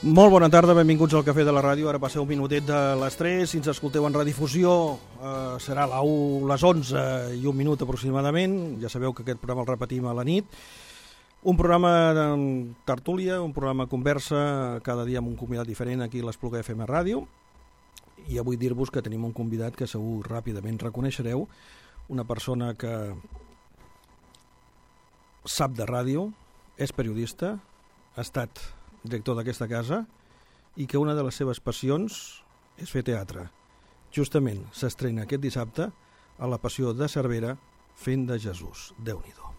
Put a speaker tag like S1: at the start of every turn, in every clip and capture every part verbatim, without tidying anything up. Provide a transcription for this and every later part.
S1: Molt bona tarda, benvinguts al Cafè de la Ràdio. Ara passeu un minutet de les tres. Si ens escolteu en redifusió eh, serà a les onze i un minut aproximadament. Ja sabeu que aquest programa el repetim a la nit. Un programa de tertúlia, un programa conversa, cada dia amb un convidat diferent aquí a l'Espluga F M Ràdio. I avui dir-vos que tenim un convidat que segur ràpidament reconeixereu, una persona que sap de ràdio, és periodista, ha estat director d'aquesta casa i que una de les seves passions és fer teatre. Justament s'estrena aquest dissabte a la Passió de Cervera fent de Jesús. Déu-n'hi-do.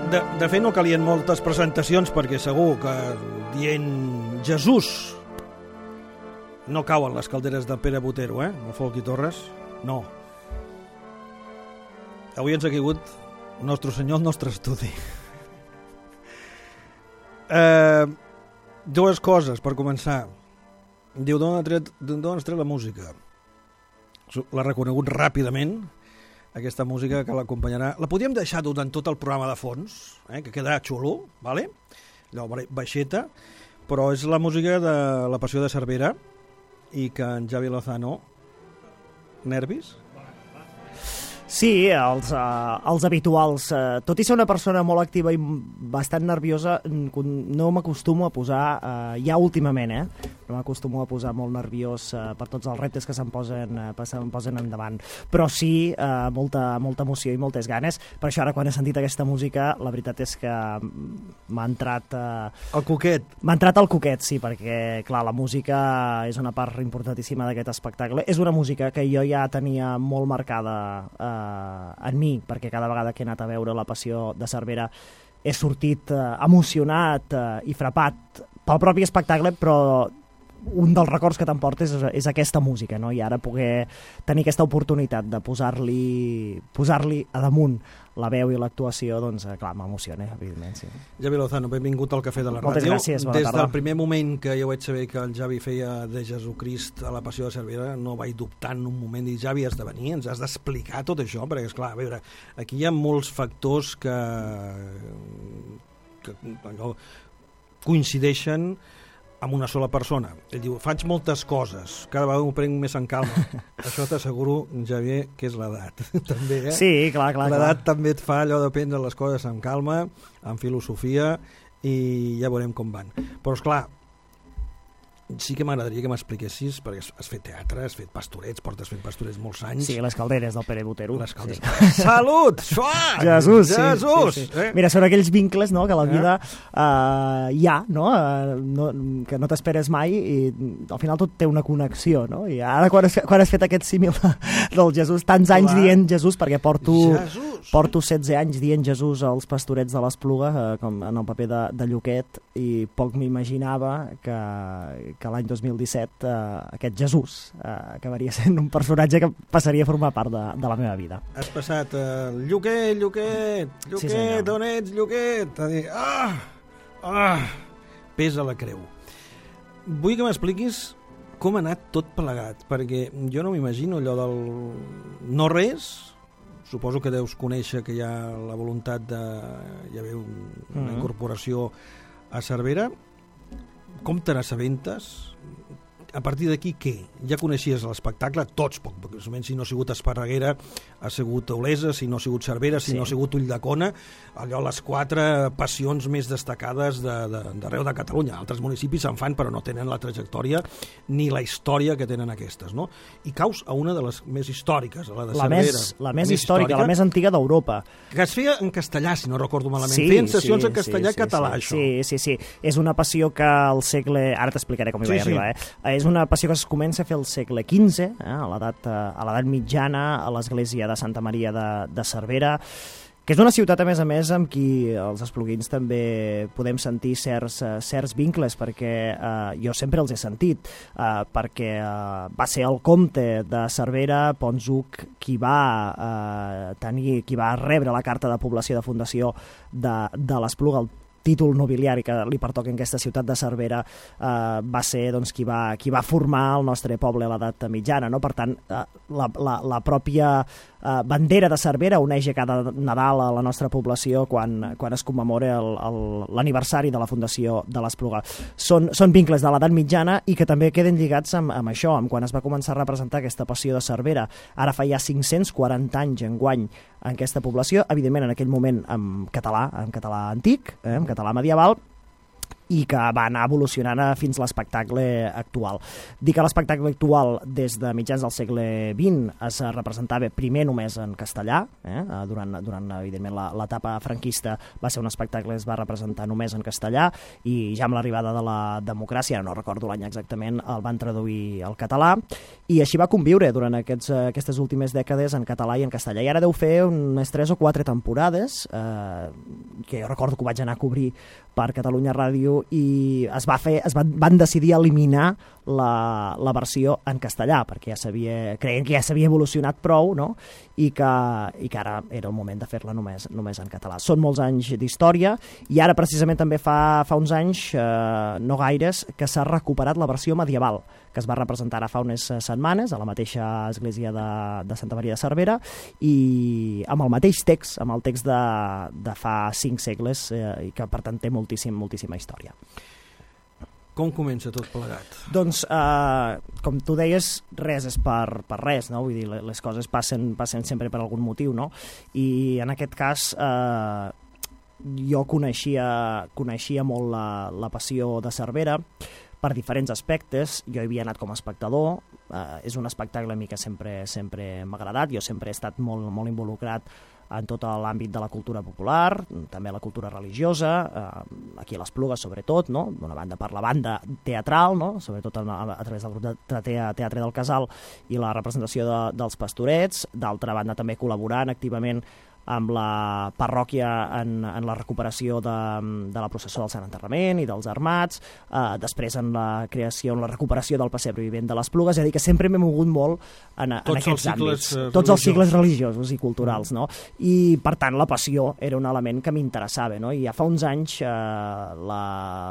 S1: De, de fet, no calien moltes presentacions perquè segur que dient Jesús no cauen les calderes de Pere Botero, eh? El Folk i Torres, no. Avui ens ha caigut Nostre senyor, el nostre estudi. Eh, dues coses, per començar. Diu, d'on has tret, d'on has tret la música? L'ha reconegut ràpidament, aquesta música que l'acompanyarà. La podíem deixar durant tot el programa de fons, eh, que quedarà xulo, vale? Allò baixeta, però és la música de La Passió de Cervera i que en Javi Lozano... Nervis?
S2: Sí, els, uh, els habituals. Uh, tot i ser una persona molt activa i bastant nerviosa, no m'acostumo a posar, uh, ja últimament, eh? No m'acostumo a posar molt nerviós uh, per tots els reptes que se'm posen, uh, se'm posen endavant. Però sí, uh, molta, molta emoció i moltes ganes. Per això ara, quan he sentit aquesta música, la veritat és que m'ha entrat... Uh,
S1: el coquet.
S2: M'ha entrat el coquet, sí, perquè, clar, la música és una part importantíssima d'aquest espectacle. És una música que jo ja tenia molt marcada uh, en mi, perquè cada vegada que he anat a veure La Passió de Cervera he sortit uh, emocionat uh, i frapat pel propi espectacle, però un dels records que t'emportes és, és aquesta música, no? I ara poder tenir aquesta oportunitat de posar-li posar-li a damunt la veu i l'actuació, doncs, clar, m'emociona, evidentment, sí.
S1: Javi Lozano, benvingut al Cafè de la
S2: Moltes
S1: Ràdio.
S2: Moltes gràcies, bona
S1: Des
S2: tarda.
S1: del primer moment que jo vaig saber que el Javi feia de Jesucrist a La Passió de Cervera, no vaig dubtar en un moment, dir, Javi, has de venir, ens has d'explicar tot això, perquè, esclar, a veure, aquí hi ha molts factors que, que allò, coincideixen amb una sola persona. Ell diu, faig moltes coses, cada vegada m'ho prenc més en calma. Això t'asseguro, Javier, que és l'edat. També, eh?
S2: Sí, clar, clar.
S1: L'edat també et fa allò de prendre les coses amb calma, amb filosofia, i ja veurem com van. Però, esclar, sí que m'agradaria que m'expliquessis, perquè has fet teatre, has fet pastorets, portes fent pastorets molts anys.
S2: Sí, les calderes del Pere Botero.
S1: Les calderes. Sí. Salut! Suat!
S2: Jesús!
S1: Jesús!
S2: Sí, sí, sí.
S1: Eh?
S2: Mira, són aquells vincles, no?, que la vida uh, hi ha, no? Uh, no? Que no t'esperes mai i al final tot té una connexió, no? I ara quan has, quan has fet aquest símil del Jesús, tants anys Clar. dient Jesús, perquè porto, porto setze anys dient Jesús als pastorets de l'Espluga, uh, com en el paper de, de Lluquet, i poc m'imaginava que que l'any dos mil disset eh, aquest Jesús eh, acabaria sent un personatge que passaria a formar part de, de la meva vida.
S1: Has passat uh, Lluquet, Lluquet, Lluquet, sí, on ets, Lluquet? A dir, ah, ah, pesa la creu. Vull que m'expliquis com ha anat tot plegat, perquè jo no m'imagino allò del no res. Suposo que deus conèixer que hi ha la voluntat de hi haver un, una mm-hmm. incorporació a Cervera. Com te n'assabentes? A partir d'aquí, què? Ja coneixies l'espectacle, tots, poc, perquè si no ha sigut Esparreguera, ha sigut Olesa, si no ha sigut Cervera, si sí. no ha sigut Ulldecona, allò les quatre passions més destacades d'arreu de, de Catalunya. Altres municipis se'n fan, però no tenen la trajectòria ni la història que tenen aquestes, no? I caus a una de les més històriques, a la de
S2: la
S1: Cervera.
S2: Més, la, la més històrica, històrica, la més antiga d'Europa.
S1: Que es feia en castellà, si no recordo malament.
S2: Sí,
S1: Feien sessions
S2: sí,
S1: en castellà i
S2: sí,
S1: català,
S2: sí,
S1: això.
S2: Sí, sí, sí. És una passió que al segle... Ara t'explicaré com hi
S1: sí,
S2: vaig sí. arribar, eh? És una passió que es comença a fer al segle quinze, eh? a l'edat mitjana, a l'església de Santa Maria de, de Cervera, que és una ciutat, a més a més, amb qui els espluguins també podem sentir certs, uh, certs vincles, perquè uh, jo sempre els he sentit, uh, perquè uh, va ser el comte de Cervera, Ponshuc, qui va uh, tenir, qui va rebre la carta de població de fundació de, de l'Espluga, el títol nobiliari que li pertoca en aquesta ciutat de Cervera, eh, va ser doncs, qui, va, qui va formar el nostre poble a l'edat mitjana, no? Per tant, eh, la, la, la pròpia eh, bandera de Cervera uneix a cada Nadal a la nostra població quan, quan es commemora l'aniversari de la fundació de l'Espluga. Són, són vincles de l'edat mitjana i que també queden lligats amb, amb això, amb quan es va començar a representar aquesta passió de Cervera. Ara fa ja cinc-cents quaranta anys enguany en aquesta població, evidentment en aquell moment en català, en català antic, eh, en català medieval, i que va anar evolucionant fins a l'espectacle actual. Dic que l'espectacle actual des de mitjans del segle vint es representava primer només en castellà, eh? durant, durant evidentment l'etapa franquista va ser un espectacle que es va representar només en castellà i ja amb l'arribada de la democràcia, no recordo l'any exactament, el van traduir al català i així va conviure durant aquests, aquestes últimes dècades en català i en castellà. I ara deu fer unes tres o quatre temporades, eh, que jo recordo que ho vaig anar a cobrir per Catalunya Ràdio i es va fer, es van, van decidir eliminar la, la versió en castellà, perquè ja s'havia, creien que ja s'havia evolucionat prou, no? I, que, i que ara era el moment de fer-la només, només en català. Són molts anys d'història i ara precisament també fa, fa uns anys, eh, no gaires, que s'ha recuperat la versió medieval, que es va representar ara fa unes setmanes a la mateixa església de, de Santa Maria de Cervera i amb el mateix text, amb el text de, de fa cinc segles eh, i que per tant té moltíssim, moltíssima història.
S1: Com comença tot plegat?
S2: Doncs, eh, com tu deies, res és per, per res, no? Vull dir, les coses passen, passen sempre per algun motiu, no? I en aquest cas eh, jo coneixia, coneixia molt la, la passió de Cervera per diferents aspectes. Jo hi havia anat com a espectador, eh, és un espectacle a mi que sempre, sempre m'ha agradat, jo sempre he estat molt, molt involucrat en tot l'àmbit de la cultura popular, també la cultura religiosa, eh, aquí a l'Esplugues sobretot, no? D'una banda per la banda teatral, no? Sobretot a, a través del grup de Teatre del Casal i la representació de, dels Pastorets, d'altra banda també col·laborant activament amb la parròquia en, en la recuperació de, de la processó del Sant Enterrament i dels Armats, eh, després en la creació, en la recuperació del pessebre vivent de l'Esplugues, és a dir, que sempre m'he mogut molt en, en aquests àmbits.
S1: Uh,
S2: Tots els cicles religiosos i culturals, no? I, per tant, la passió era un element que m'interessava, no? I ja fa uns anys eh, la,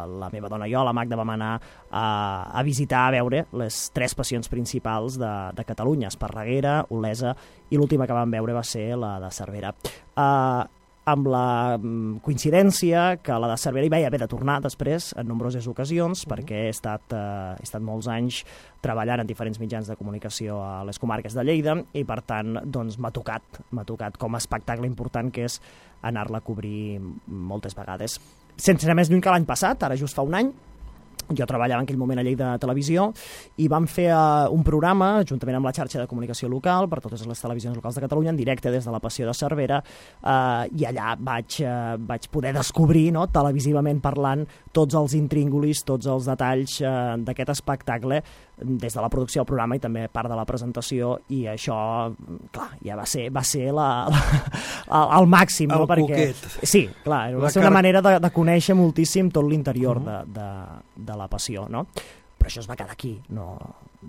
S2: la meva dona i jo, la Magda, vam anar a, a visitar, a veure les tres passions principals de, de Catalunya, Esparreguera, Olesa, i l'última que vam veure va ser la de Cervera. Uh, amb la um, coincidència que la de Cervera hi vaig haver de tornar després en nombroses ocasions, uh-huh. perquè he estat, uh, he estat molts anys treballant en diferents mitjans de comunicació a les comarques de Lleida i per tant doncs, m'ha tocat, m'ha tocat com a espectacle important que és anar-la a cobrir moltes vegades. Sense anar més lluny que l'any passat, ara just fa un any, jo treballava en aquell moment a Lleida Televisió i vam fer uh, un programa juntament amb la xarxa de comunicació local per totes les televisions locals de Catalunya en directe des de la Passió de Cervera uh, i allà vaig, uh, vaig poder descobrir, no, televisivament parlant, tots els intríngulis, tots els detalls uh, d'aquest espectacle des de la producció del programa i també part de la presentació i això, clar, ja va ser, va ser la, la, el màxim,
S1: el
S2: no? Perquè, sí, clar, va ser una manera de, de conèixer moltíssim tot l'interior uh-huh. de, de, de la passió, no? Però això es va quedar aquí, no,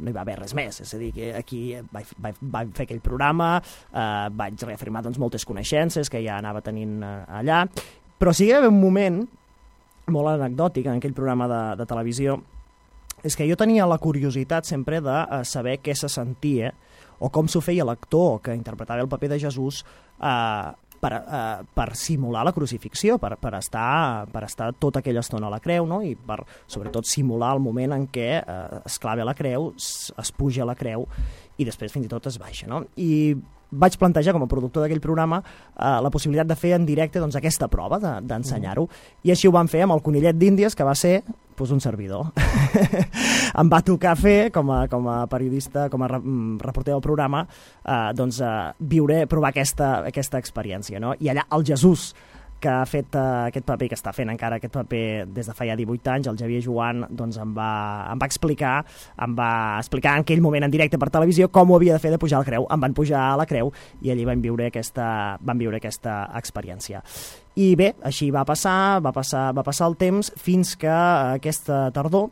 S2: no hi va haver res més, és a dir, que aquí vaig, vaig, vaig fer aquell programa, eh, vaig reafirmar doncs, moltes coneixences que ja anava tenint eh, allà, però sí que hi va haver un moment molt anecdòtic en aquell programa de, de televisió, és que jo tenia la curiositat sempre de uh, saber què se sentia o com s'ho feia l'actor que interpretava el paper de Jesús uh, per, uh, per simular la crucifixió, per, per, estar, per estar tota aquella estona a la creu, no? I per, sobretot, simular el moment en què uh, es clava a la creu, es, es puja a la creu i després fins i tot es baixa, no? I vaig plantejar com a productor d'aquell programa eh, la possibilitat de fer en directe doncs, aquesta prova, d'ensenyar-ho, de, i així ho vam fer amb el conillet d'Índies, que va ser pues, un servidor. Em va tocar fer, com a, com a periodista, com a reporter del programa, eh, doncs, eh, viure, provar aquesta, aquesta experiència, no? I allà el Jesús, que ha fet uh, aquest paper, que està fent encara aquest paper des de fa ja divuit anys, el Xavier Joan, doncs em va, em va explicar, em va explicar en aquell moment en directe per televisió com ho havia de fer de pujar a la creu. Em van pujar a la creu i allí vam viure aquesta, vam viure aquesta experiència. I bé, així va passar, va passar, va passar el temps fins que aquesta tardor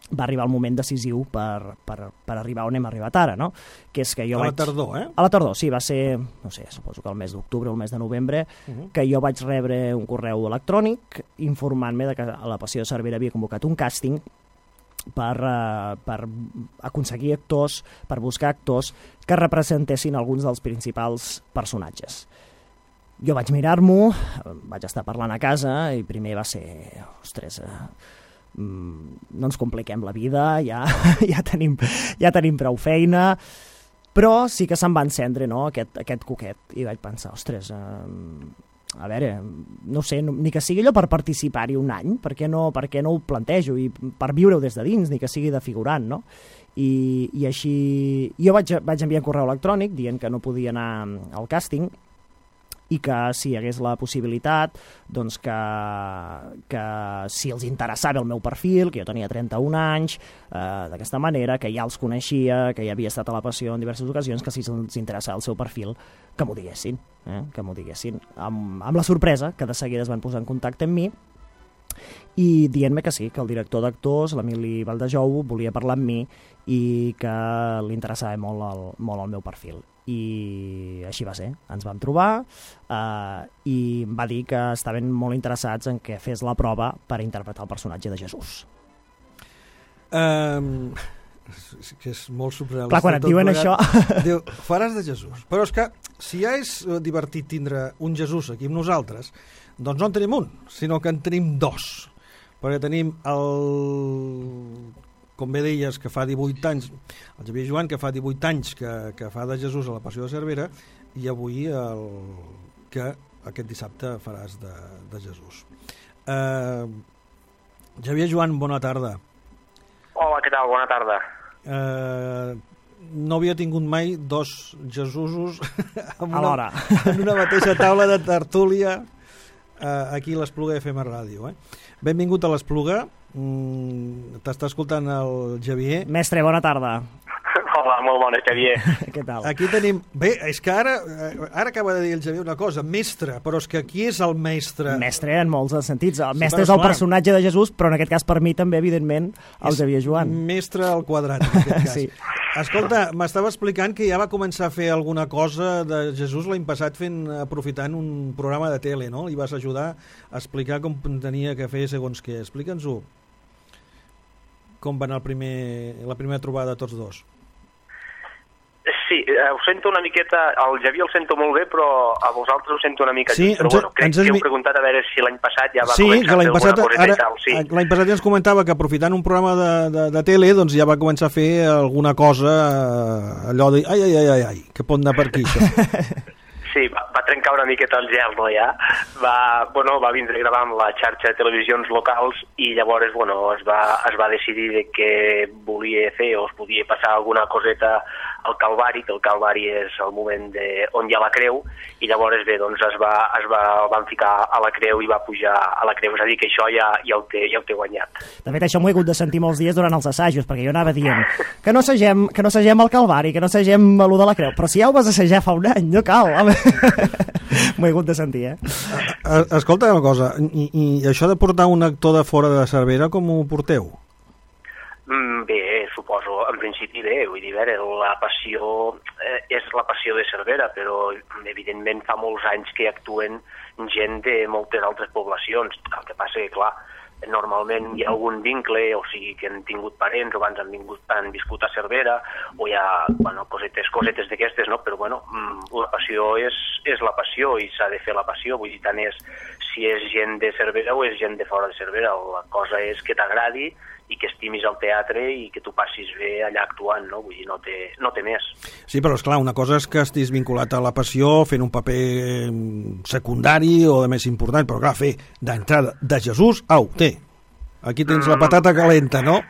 S2: va arribar el moment decisiu per, per, per arribar on hem arribat ara, no? Que és que jo
S1: a
S2: vaig...
S1: la tardor, eh?
S2: A la tardor, sí, va ser, no sé, suposo que el mes d'octubre o el mes de novembre, uh-huh. que jo vaig rebre un correu electrònic informant-me de que a la Passió de Cervera havia convocat un càsting per, uh, per aconseguir actors, per buscar actors que representessin alguns dels principals personatges. Jo vaig mirar-m'ho, vaig estar parlant a casa i primer va ser, ostres... Uh, no ens compliquem la vida, ja, ja, tenim, ja tenim prou feina, però sí que se'm va encendre, no, aquest, aquest coquet, i vaig pensar, ostres, eh, a veure, no sé, no, ni que sigui allò per participar-hi un any, per què no, per què no ho plantejo, i per viure-ho des de dins, ni que sigui de figurant, no? I, i així, jo vaig, vaig enviar un correu electrònic dient que no podia anar al càsting, i que si hi hagués la possibilitat doncs que, que si els interessava el meu perfil, que jo tenia trenta-un anys, eh, d'aquesta manera, que ja els coneixia, que ja havia estat a la Passió en diverses ocasions, que si els interessava el seu perfil, que m'ho diguessin, eh? que m'ho diguessin. Amb, amb la sorpresa que de seguida es van posar en contacte amb mi i dient-me que sí, que el director d'actors, l'Emili Valdejou, volia parlar amb mi i que li interessava molt el, molt el meu perfil. I així va ser. Ens vam trobar eh, i em va dir que estaven molt interessats en que fes la prova per interpretar el personatge de Jesús.
S1: Um, que és molt surrealista.
S2: Clar, quan et diuen això...
S1: Diu, faràs de Jesús. Però és que si ja és divertit tindre un Jesús aquí amb nosaltres, doncs no en tenim un, sinó que en tenim dos. Perquè tenim el... com bé deies, que fa divuit anys, el Xavier Joan, que fa divuit anys que, que fa de Jesús a la Passió de Cervera, i avui el que aquest dissabte faràs de, de Jesús. Uh, Xavier Joan, bona tarda.
S3: Hola, què tal? Bona tarda.
S1: Uh, no havia tingut mai dos Jesusos en una, en una mateixa taula de tertúlia uh, aquí a l'Espluga F M Ràdio. Eh? Benvingut a l'Espluga. Mm, t'està escoltant el Xavier.
S2: Mestre, bona tarda.
S3: Hola, molt bona, Xavier.
S2: Què tal?
S1: Aquí tenim... Bé, és que ara ara acaba de dir el Xavier una cosa, mestre, però és que qui és el mestre?
S2: Mestre en molts sentits. El
S1: sí,
S2: mestre és el clar. personatge de Jesús, però en aquest cas per mi també, evidentment, el és Xavier Joan.
S1: Mestre al quadrat, en aquest cas.
S2: Sí.
S1: Escolta, m'estava explicant que ja va començar a fer alguna cosa de Jesús l'any passat fent, aprofitant un programa de tele, no? Li vas ajudar a explicar com tenia que fer segons què. Explica'ns-ho. Com va anar el primer, la primera trobada de tots dos?
S3: Sí, ho sento una miqueta, el Javier el sento molt bé, però a vosaltres ho sento una mica
S1: sí,
S3: just, però bueno, crec que heu preguntat a veure si l'any passat ja va
S1: sí,
S3: començar a fer alguna
S1: passat,
S3: coseta
S1: ara,
S3: i tal. Sí.
S1: L'any passat ja ens comentava que aprofitant un programa de, de, de tele doncs ja va començar a fer alguna cosa, allò de ai, ai, ai, ai, ai que pot anar per aquí això.
S3: Sí, va, va trencar una miqueta el gel, no, ja? Va, bueno, va vindre a gravar amb la xarxa de televisions locals i llavors, bueno, es va, es va decidir de què volia fer o es podia passar alguna coseta al Calvari, que el Calvari és el moment de, on hi ha la creu, i llavors bé, doncs es va, es va, el van ficar a la creu i va pujar a la creu, és a dir, que això ja, ja, ho, té, ja ho té guanyat.
S2: De fet, això m'ho he hagut de sentir molts dies durant els assajos, perquè jo anava dient que no assagem, que no assagem al Calvari, que no assagem a lo de la creu, però si ja ho vas assajar fa un any, no cal, home. M'ho he hagut de sentir, eh?
S1: Escolta una cosa, i, i això de portar un actor de fora de Cervera, com ho porteu?
S3: Mm, bé, suposo, en principi bé, vull dir, veure, la passió eh, és la passió de Cervera, però evidentment fa molts anys que actuen gent de moltes altres poblacions, el que passa que, clar, normalment hi ha algun vincle, o sigui que han tingut parents o abans han, vingut, han viscut a Cervera, o hi ha bueno, cosetes, cosetes d'aquestes, no? Però bueno, la passió és, és la passió i s'ha de fer la passió, vull dir, tant és si és gent de Cervera o és gent de fora de Cervera, la cosa és que t'agradi i que estimis el teatre i que tu passis bé allà actuant, no? Vull dir, no té, no té més.
S1: Sí, però és clar, una cosa és que estiguis vinculat a la passió fent un paper secundari o de més important, però clar, fer d'entrada de Jesús, au, té, aquí tens mm. la patata calenta, no?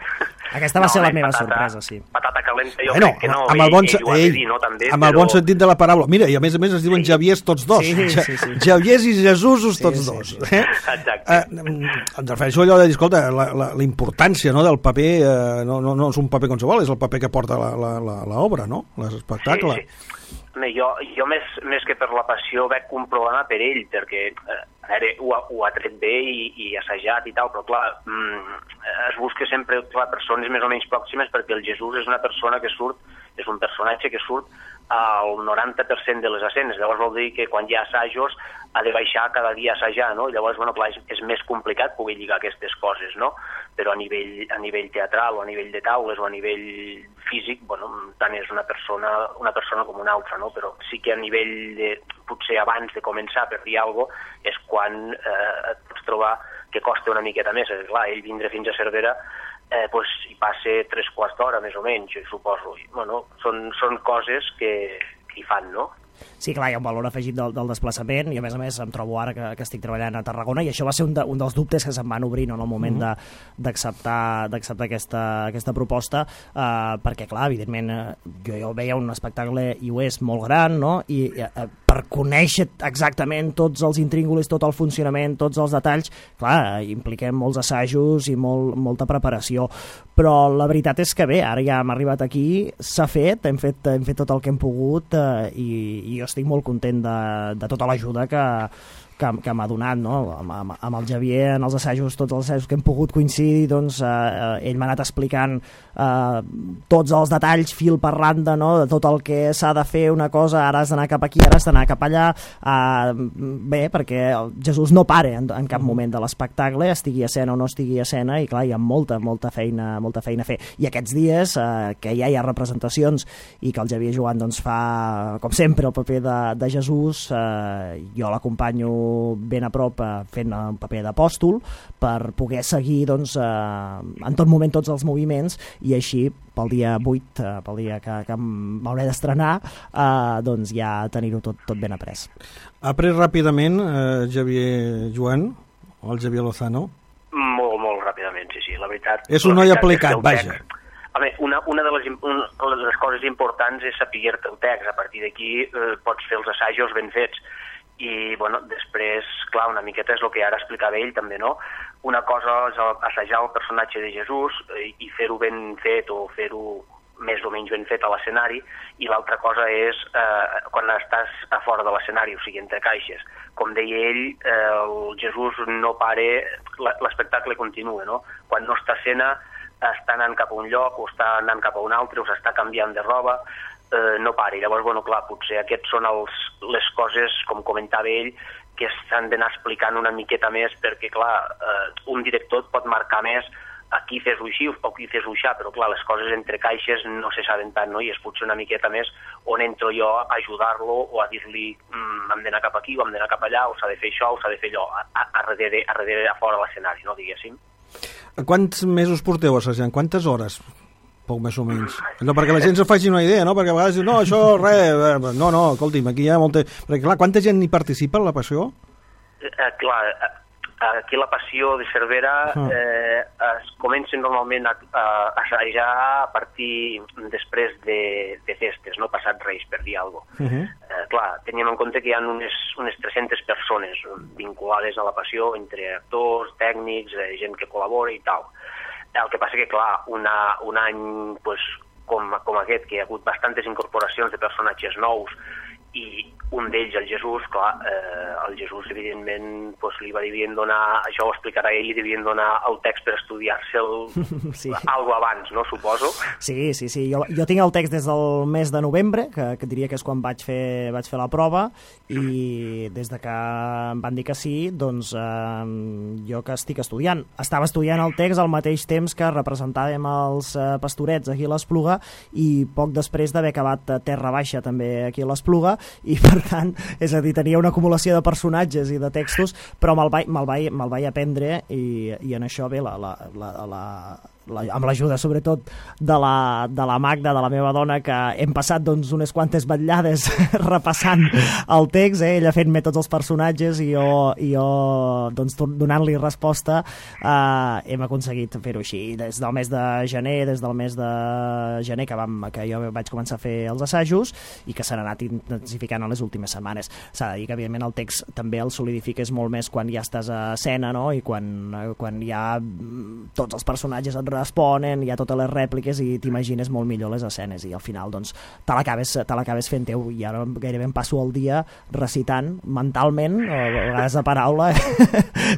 S2: Aquesta va
S3: no,
S2: ser la
S3: bé,
S2: meva
S3: patata,
S2: sorpresa, sí.
S3: Patata calenta, jo
S1: bueno,
S3: crec que no,
S1: amb el bon,
S3: ell, ell ho ha de dir, no, també,
S1: amb
S3: però...
S1: el bon sentit de la paraula. Mira, i a més a més es diuen sí. Javiers tots dos.
S2: Sí, sí, sí.
S1: Javiers i Jesusos tots sí, sí, dos.
S3: Sí.
S1: Eh?
S3: Exacte.
S1: Eh, em refereixo a allò de dir, escolta, la, la, la importància no, del paper, eh, no, no, no és un paper qualsevol, és el paper que porta l'obra, no? L'espectacle.
S3: Sí, sí. Jo, jo més, més que per la passió veig un problema per ell, perquè eh, veure, ho, ho ha tret bé i, i assajat i tal, però clar, mm, es busca sempre clar, persones més o menys pròximes perquè el Jesús és una persona que surt, és un personatge que surt al noranta per cent de les escenes, llavors vol dir que quan hi ha assajos ha de baixar cada dia a assajar, no? I llavors, bueno, clar, és, és més complicat poder lligar aquestes coses, no? Però a nivell, a nivell teatral o a nivell de taules o a nivell físic, bueno, tant és una persona, una persona com una altra, no? Però sí que a nivell de, potser abans de començar per dir alguna cosa, és quan eh, et pots trobar que costa una miqueta més. Clar, ell vindre fins a Cervera eh, pues, hi passa tres quarts d'hora, més o menys, suposo. I, bueno, són, són coses que, que hi fan, no?
S2: Sí, clar, hi ha un valor afegit del, del desplaçament i a més a més em trobo ara que, que estic treballant a Tarragona i això va ser un, de, un dels dubtes que se'm van obrir no, en el moment uh -huh. d'acceptar d'acceptar aquesta, aquesta proposta eh, perquè clar, evidentment eh, jo, jo veia un espectacle i ho és molt gran, no? I eh, per conèixer exactament tots els intríngulis, tot el funcionament, tots els detalls, clar, impliquem molts assajos i molt, molta preparació, però la veritat és que bé, ara ja hem arribat aquí, s'ha fet, hem fet, hem fet tot el que hem pogut eh, i, i jo estic molt content de, de tota l'ajuda que, que, que m'ha donat, no? Amb, amb, amb el Xavier, en els assajos, tots els assajos que hem pogut coincidir, doncs eh, ell m'ha anat explicant eh, tots els detalls, fil per randa, no? De tot el que s'ha de fer una cosa, ara has d'anar cap aquí, ara has d'anar cap allà, eh, bé, perquè el Jesús no pare en, en cap moment de l'espectacle, estigui a escena o no estigui a escena, i clar, hi ha molta, molta feina, molta feina a fer. I aquests dies, eh, que ja hi ha representacions i que el Xavier Joan doncs, fa, com sempre, el paper de, de Jesús, eh, jo l'acompanyo ben a prop eh, fent un paper d'apòstol per poder seguir doncs, eh, en tot moment tots els moviments, i així pel dia vuit, eh, pel dia que, que m'hauré d'estrenar, eh, doncs ja tenir-ho tot, tot ben après.
S1: Ha après ràpidament eh, Xavier Joan, o el Xavier Lozano?
S3: Molt, molt ràpidament, sí, sí, la veritat.
S1: És un noi aplicat, vaja.
S3: Home, una, una, de les, una de les coses importants és saber-te el text. A partir d'aquí eh, pots fer els assajos ben fets. I, bueno, després, clar, una miqueta és el que ara explicava ell, també, no? Una cosa és assajar el personatge de Jesús i, i fer-ho ben fet o fer-ho més o menys ben fet a l'escenari, i l'altra cosa és eh, quan estàs a fora de l'escenari, o sigui, entre caixes. Com deia ell, eh, el Jesús no pare, l'espectacle continua, no? Quan no està a escena, està anant cap a un lloc o està anant cap a un altre o s'està canviant de roba, eh, no pari. Llavors, bueno, clar, potser aquests són els, les coses, com comentava ell, que s'han d'anar explicant una miqueta més, perquè, clar, eh, un director pot marcar més aquí fes-ho així o aquí fes-ho així, però, clar, les coses entre caixes no se saben tant, no? I és potser una miqueta més on entro jo a ajudar-lo o a dir-li mm, hem d'anar cap aquí o hem d'anar cap allà, o s'ha de fer això o s'ha de fer allò, a, a, a, darrere, a darrere, a fora de l'escenari, no, diguéssim.
S1: Quants mesos porteu assajant? Quantes hores? Poc més o menys. No, perquè la gent se faci una idea, no? Perquè a vegades diu, no, això, res... No, no, escolti'm, aquí hi ha molta... Perquè, clar, quanta gent hi participa en la Passió?
S3: Eh, clar, aquí la Passió de Cervera eh, es comença normalment a, a assajar a partir després de, de festes, no passat Reis, per dir alguna cosa. Uh -huh. eh, clar, teníem en compte que hi ha unes, unes tres-centes persones vinculades a la Passió, entre actors, tècnics, eh, gent que col·labora i tal. El que passa que, clar, una, un any pues, com, com aquest, que hi ha hagut bastantes incorporacions de personatges nous, i un d'ells, el Jesús, clar, eh, el Jesús, evidentment, pues, li va devien donar, això ho explicarà ell, li devien donar el text per estudiar-se'l sí. algo abans, no, suposo?
S2: Sí, sí, sí. Jo, jo tinc el text des del mes de novembre, que, que diria que és quan vaig fer, vaig fer la prova, i des de que em van dir que sí, doncs eh, jo que estic estudiant. Estava estudiant el text al mateix temps que representàvem els eh, Pastorets aquí a l'Espluga, i poc després d'haver acabat Terra Baixa també aquí a l'Espluga, i per tant, és a dir, tenia una acumulació de personatges i de textos, però me'l vaig, me'l vaig, me'l vaig aprendre, i, i en això bé, la, la, la, la, la, amb l'ajuda sobretot de la, de la Magda, de la meva dona, que hem passat doncs, unes quantes vetllades repassant el text, eh? Ella fent-me tots els personatges i jo, i jo doncs, donant-li resposta, eh, hem aconseguit fer-ho així. Des del mes de gener, des del mes de gener que, vam, que jo vaig començar a fer els assajos i que s'han anat intensificant en les últimes setmanes. S'ha de dir que, evidentment, el text també el solidifiques molt més quan ja estàs a escena, no? I quan, quan ja tots els personatges et responen, hi ha totes les rèpliques i t'imagines molt millor les escenes, i al final doncs te l'acabes te l'acabes fent teu, i ara gairebé em passo el dia recitant mentalment, o a vegades a paraula.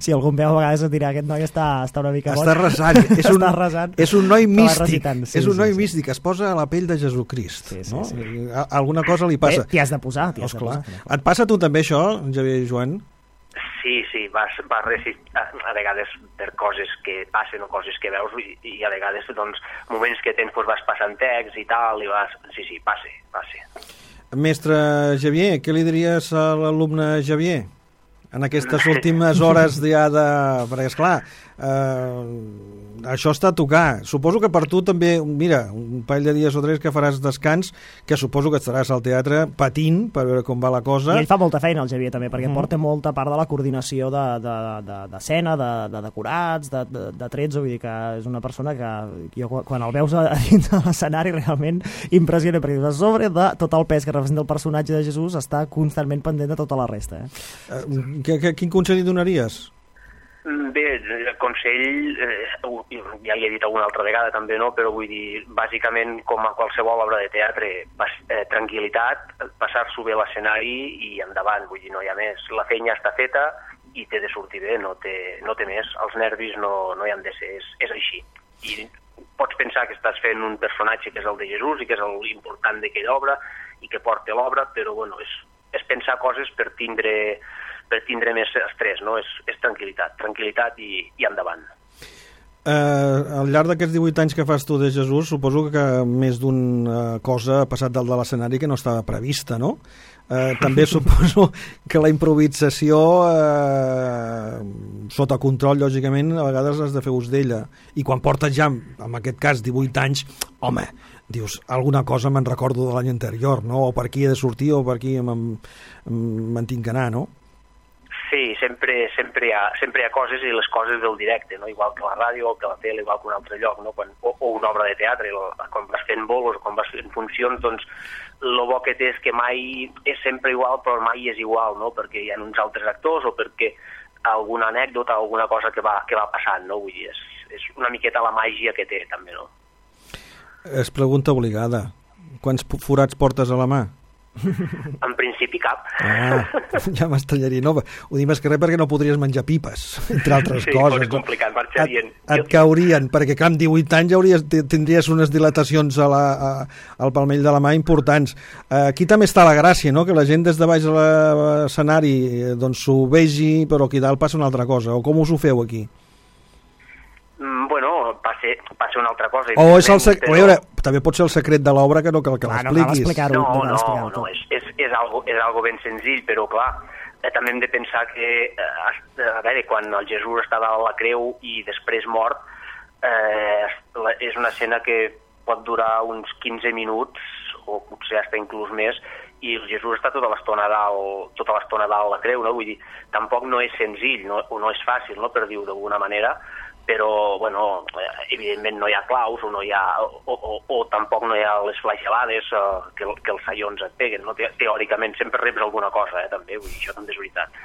S2: Si algú em veu a vegades et dirà aquest noi està, està una mica boig.
S1: Està resant, és un,
S2: està resant.
S1: És un noi místic,
S2: sí,
S1: és un noi
S2: sí,
S1: místic, sí. Es posa a la pell de Jesucrist,
S2: sí, sí,
S1: no?
S2: Sí.
S1: Alguna cosa li passa.
S2: T'hi has de posar, t'hi has
S1: oh,
S2: de posar.
S1: Et passa a tu també això, Xavier Joan?
S3: Sí, sí, vas, vas resistir, a vegades per coses que passen o coses que veus, i, i a vegades, doncs, moments que tens, doncs, vas passant text i tal, i vas... Sí, sí, passe, passe.
S1: Mestre Xavier, què li diries a l'alumne Xavier en aquestes últimes hores ja de... Perquè, esclar, eh, això està a tocar. Suposo que per tu també, mira, un parell de dies o tres que faràs descans, que suposo que estaràs al teatre patint per veure com va la cosa.
S2: I ell fa molta feina, el Xavier, també, perquè mm. porta molta part de la coordinació d'escena, de, de, de, de, de decorats, de, de, de trets, vull dir que és una persona que jo, quan el veus a, a dins de l'escenari, realment impressiona, perquè a sobre de tot el pes que representa el personatge de Jesús està constantment pendent de tota la resta. Eh?
S1: Uh, que, que, quin consell li donaries?
S3: Bé, el consell, eh, ja li he dit alguna altra vegada també, no? Però vull dir, bàsicament, com a qualsevol obra de teatre, pas, eh, tranquil·litat, passar-s'ho bé l'escenari i endavant, vull dir, no hi ha més. La feina està feta i té de sortir bé, no té, no té més. Els nervis no, no hi han de ser, és, és així. I pots pensar que estàs fent un personatge que és el de Jesús i que és l'important d'aquella obra i que porta l'obra, però bueno, és, és pensar coses per tindre... per tindre més estrès, no? És, és tranquil·litat, tranquil·litat i, i endavant.
S1: Eh, al llarg d'aquests divuit anys que fas tu de Jesús, suposo que més d'una cosa ha passat dalt de l'escenari que no estava prevista, no? Eh, també suposo que la improvisació, eh, sota control, lògicament, a vegades has de fer ús d'ella. I quan portes ja, en aquest cas, divuit anys, home, dius, alguna cosa me'n recordo de l'any anterior, no? O per aquí he de sortir o per aquí me'n tinc que anar, no?
S3: Sí, sempre, sempre, hi ha, sempre hi ha coses i les coses del directe, no? Igual que la ràdio o que la tele, igual que un altre lloc, no? Quan, o, o una obra de teatre, quan vas fent bolos o quan vas fent funcions, doncs el bo que té és que mai és sempre igual, però mai és igual, no? Perquè hi ha uns altres actors o perquè alguna anècdota, alguna cosa que va, que va passant, no? Vull dir, és, és una miqueta la màgia que té, també, no?
S1: És pregunta obligada. Quants forats portes a la mà?
S3: En principi cap.
S1: Ah, ja m'estranyaria. No, ho dic més que res perquè no podries menjar pipes, entre altres
S3: sí,
S1: coses.
S3: Sí, és complicat, marxarien.
S1: Et, et caurien, perquè clar, amb divuit anys ja hauries, tindries unes dilatacions a la, a, al palmell de la mà importants. Aquí també està la gràcia, no? Que la gent des de baix de l'escenari doncs s'ho vegi, però aquí dalt passa una altra cosa. O com us ho feu aquí?
S3: Mm, bueno, passa, passa una altra cosa.
S1: O és el sec... però... veure, també pot ser el secret de l'obra que no cal que
S2: ah,
S1: l'expliquis.
S2: No,
S3: no, no, no, no, és, és, és, algo, és algo ben senzill, però clar, eh, també hem de pensar que, eh, a veure, quan el Jesús estava a la creu i després mort, eh, és una escena que pot durar uns quinze minuts, o potser hasta inclús més, i el Jesús està tota l'estona dalt, tota l'estona dalt a la creu, no? Vull dir, tampoc no és senzill, no, o no és fàcil, no?, per dir-ho d'alguna manera, però, bueno, evidentment no hi ha claus o, no hi ha, o, o, o tampoc no hi ha les flagel·lades uh, que, que els saions et peguen, no? Teòricament sempre reps alguna cosa, eh, també, vull dir, això també és veritat.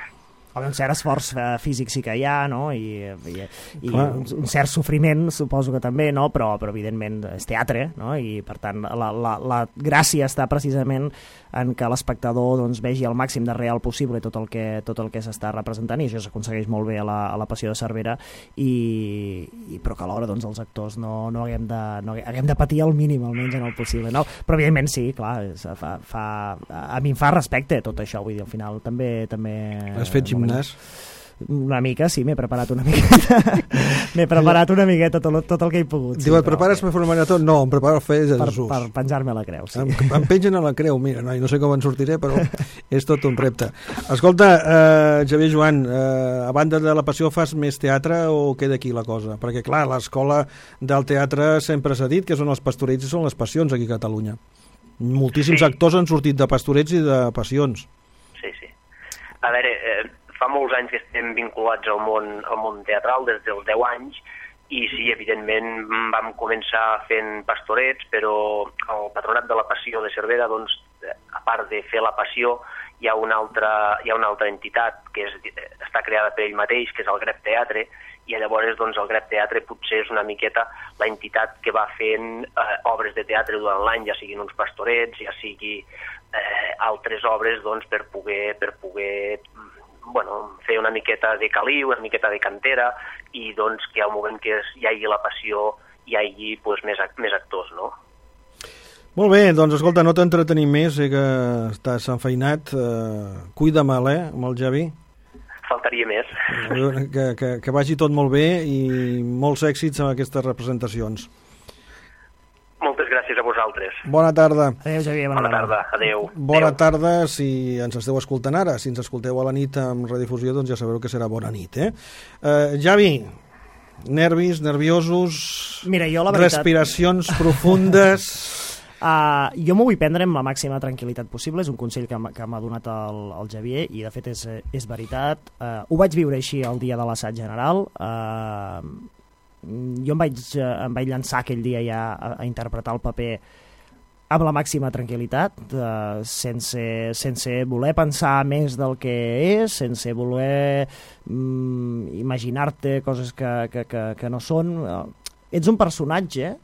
S2: Un cert esforç físic sí que hi ha, no? I, i, i un, un cert sofriment suposo que també, no? Però, però evidentment és teatre, no? I per tant la, la, la gràcia està precisament en que l'espectador doncs, vegi el màxim de real possible tot el que, tot el que s'està representant, i això s'aconsegueix molt bé a la, a la Passió de Cervera, i, i però que alhora doncs, els actors no, no, haguem de, no haguem de patir al mínim, almenys en el possible, no? Però evidentment sí, clar, fa, fa, a mi em fa respecte tot això, vull dir, al final també... també
S1: has fet gimnàs?
S2: Una mica, sí, m'he preparat una miqueta. M'he preparat una miqueta tot, tot el que he pogut.
S1: Diu, sí, et prepares per fer una marató? No, em preparo a fer Jesús.
S2: Per, per penjar-me a la creu, sí.
S1: Em, em pengen a la creu, mira, no, no sé com en sortiré, però és tot un repte. Escolta, eh, Xavier Joan, eh, a banda de la Passió fas més teatre o queda aquí la cosa? Perquè, clar, l'escola del teatre sempre s'ha dit que són els pastorets i són les passions aquí a Catalunya. Moltíssims sí. actors han sortit de pastorets i de passions.
S3: Sí, sí. A veure... Eh... Fa molts anys que estem vinculats al món, al món teatral, des dels deu anys, i sí, evidentment vam començar fent pastorets, però el Patronat de la Passió de Cervera, doncs, a part de fer la Passió, hi ha una altra, hi ha una altra entitat que és, està creada per ell mateix, que és el Grep Teatre, i llavors doncs, el Grep Teatre potser és una miqueta la entitat que va fent eh, obres de teatre durant l'any, ja siguin uns pastorets, ja sigui eh, altres obres doncs, per poder... Per poder bueno, fer una miqueta de caliu, una miqueta de cantera, i doncs que al moment que hi hagi la passió hi hagi pues, més, més actors, no?
S1: Molt bé, doncs escolta, no t'entretenim més, sé que estàs enfeinat, eh, cuida-me'l, eh, amb el Javi.
S3: Faltaria més.
S1: Que, que, que vagi tot molt bé i molts èxits amb aquestes representacions.
S3: Moltes gràcies a vosaltres.
S1: Bona tarda.
S2: Adéu, Xavier. Bona,
S3: bona tarda. Adéu.
S1: Bona
S3: Adéu.
S1: tarda, si ens esteu escoltant ara. Si ens escolteu a la nit amb redifusió, doncs ja sabeu que serà bona nit, eh? Uh, Javi, nervis, nerviosos...
S2: Mira, jo la veritat...
S1: Respiracions profundes...
S2: Uh, jo m'ho vull prendre amb la màxima tranquil·litat possible, és un consell que m'ha donat el, el Xavier i de fet és, és veritat. Uh, ho vaig viure així el dia de l'assaig general. Uh, jo em vaig, em vaig llançar aquell dia ja a, a interpretar el paper amb la màxima tranquil·litat, eh, sense, sense voler pensar més del que és, sense voler mm, imaginar-te coses que, que, que, que no són. Ets un personatge,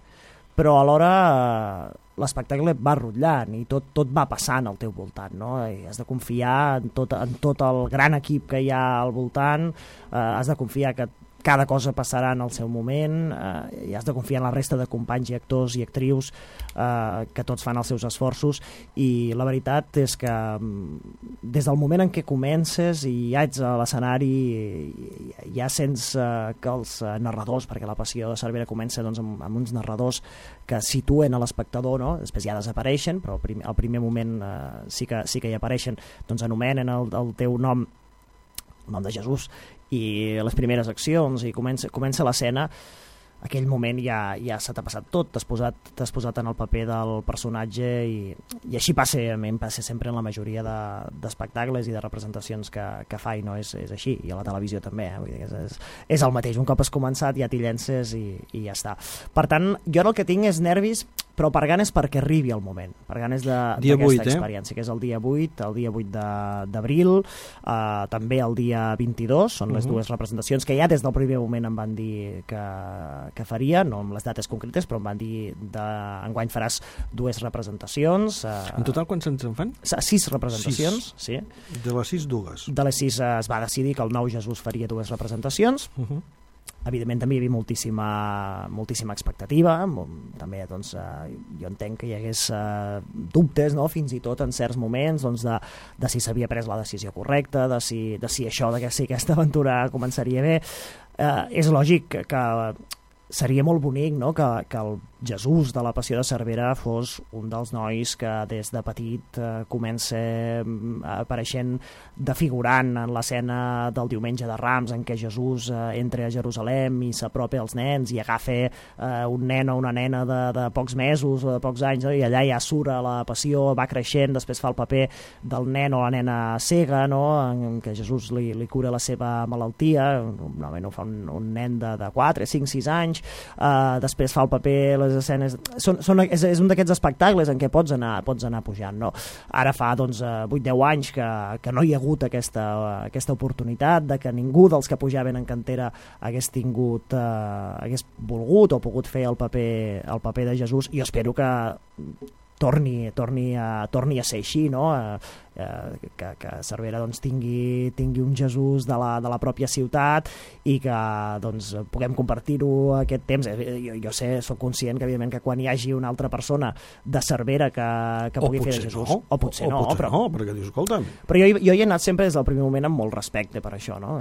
S2: però alhora eh, l'espectacle va rotllant i tot, tot va passant al teu voltant, no? I has de confiar en tot, en tot el gran equip que hi ha al voltant, eh, has de confiar que cada cosa passarà en el seu moment, eh, i has de confiar en la resta de companys i actors i actrius eh, que tots fan els seus esforços, i la veritat és que des del moment en què comences i ja ets a l'escenari ja sents eh, que els narradors, perquè la Passió de Cervera comença doncs, amb, amb uns narradors que situen a l'espectador, no? Després ja desapareixen, però al primer, al primer moment eh, sí, que, sí que hi apareixen, doncs anomenen el, el teu nom, el nom de Jesús, i les primeres accions, i comença, comença l'escena. Aquell moment ja, ja se t'ha passat tot, t'has posat, t'has posat en el paper del personatge, i, i així passa, a mi em passa sempre en la majoria de, d'espectacles i de representacions que, que fa, i no és, és així, i a la televisió també, eh? Vull dir, és, és, és el mateix, un cop has començat ja t'hi llences i, i ja està. Per tant, jo el que tinc és nervis, però per ganes perquè arribi el moment, per ganes d'aquesta experiència, eh? Que és el dia vuit, el dia vuit d'abril, eh, també el dia vint-i-dos, són les uh-huh. dues representacions que ja des del primer moment em van dir que, que faria, no amb les dates concretes, però em van dir de, enguany faràs dues representacions. Eh,
S1: en total quants ens en fan?
S2: Sis representacions, sis. Sí.
S1: De les sis, dues.
S2: De les sis eh, es va decidir que el nou Jesús faria dues representacions. Uh-huh. Evidentment també hi havia moltíssima, moltíssima expectativa, també doncs, eh, jo entenc que hi hagués eh, dubtes, no? Fins i tot en certs moments doncs, de, de si s'havia pres la decisió correcta, de si, de si això, de que si aquesta aventura començaria bé. Eh, és lògic que, que seria molt bonic, no? que, que el Jesús de la Passió de Cervera fos un dels nois que des de petit eh, comença apareixent de figurant en l'escena del diumenge de Rams, en què Jesús eh, entra a Jerusalem i s'apropa als nens i agafa eh, un nen o una nena de, de pocs mesos o de pocs anys, no? I allà ja surt a la Passió, va creixent, després fa el paper del nen o la nena cega, no? En què Jesús li, li cura la seva malaltia, normalment ho fa un, un nen de, de quatre, cinc, sis anys, eh, després fa el paper, les escenes, són, són, és, és un d'aquests espectacles en què pots anar, pots anar pujant, no? Ara fa doncs, vuit deu anys que, que no hi ha hagut aquesta, aquesta oportunitat, de que ningú dels que pujaven en cantera hagués tingut, eh, hagués volgut o pogut fer el paper, el paper de Jesús, i jo espero que torni, torni, a, torni a ser així, no? Eh, eh, que, que Cervera doncs, tingui, tingui un Jesús de la, de la pròpia ciutat i que doncs, puguem compartir-ho aquest temps. Jo, jo sé, soc conscient que evidentment que quan hi hagi una altra persona de Cervera que, que pugui fer de Jesús,
S1: no.
S2: o potser
S1: o,
S2: no,
S1: o potser
S2: però,
S1: no, perquè dius, escolta'm.
S2: Però jo, jo hi he anat sempre des del primer moment amb molt respecte per això, no?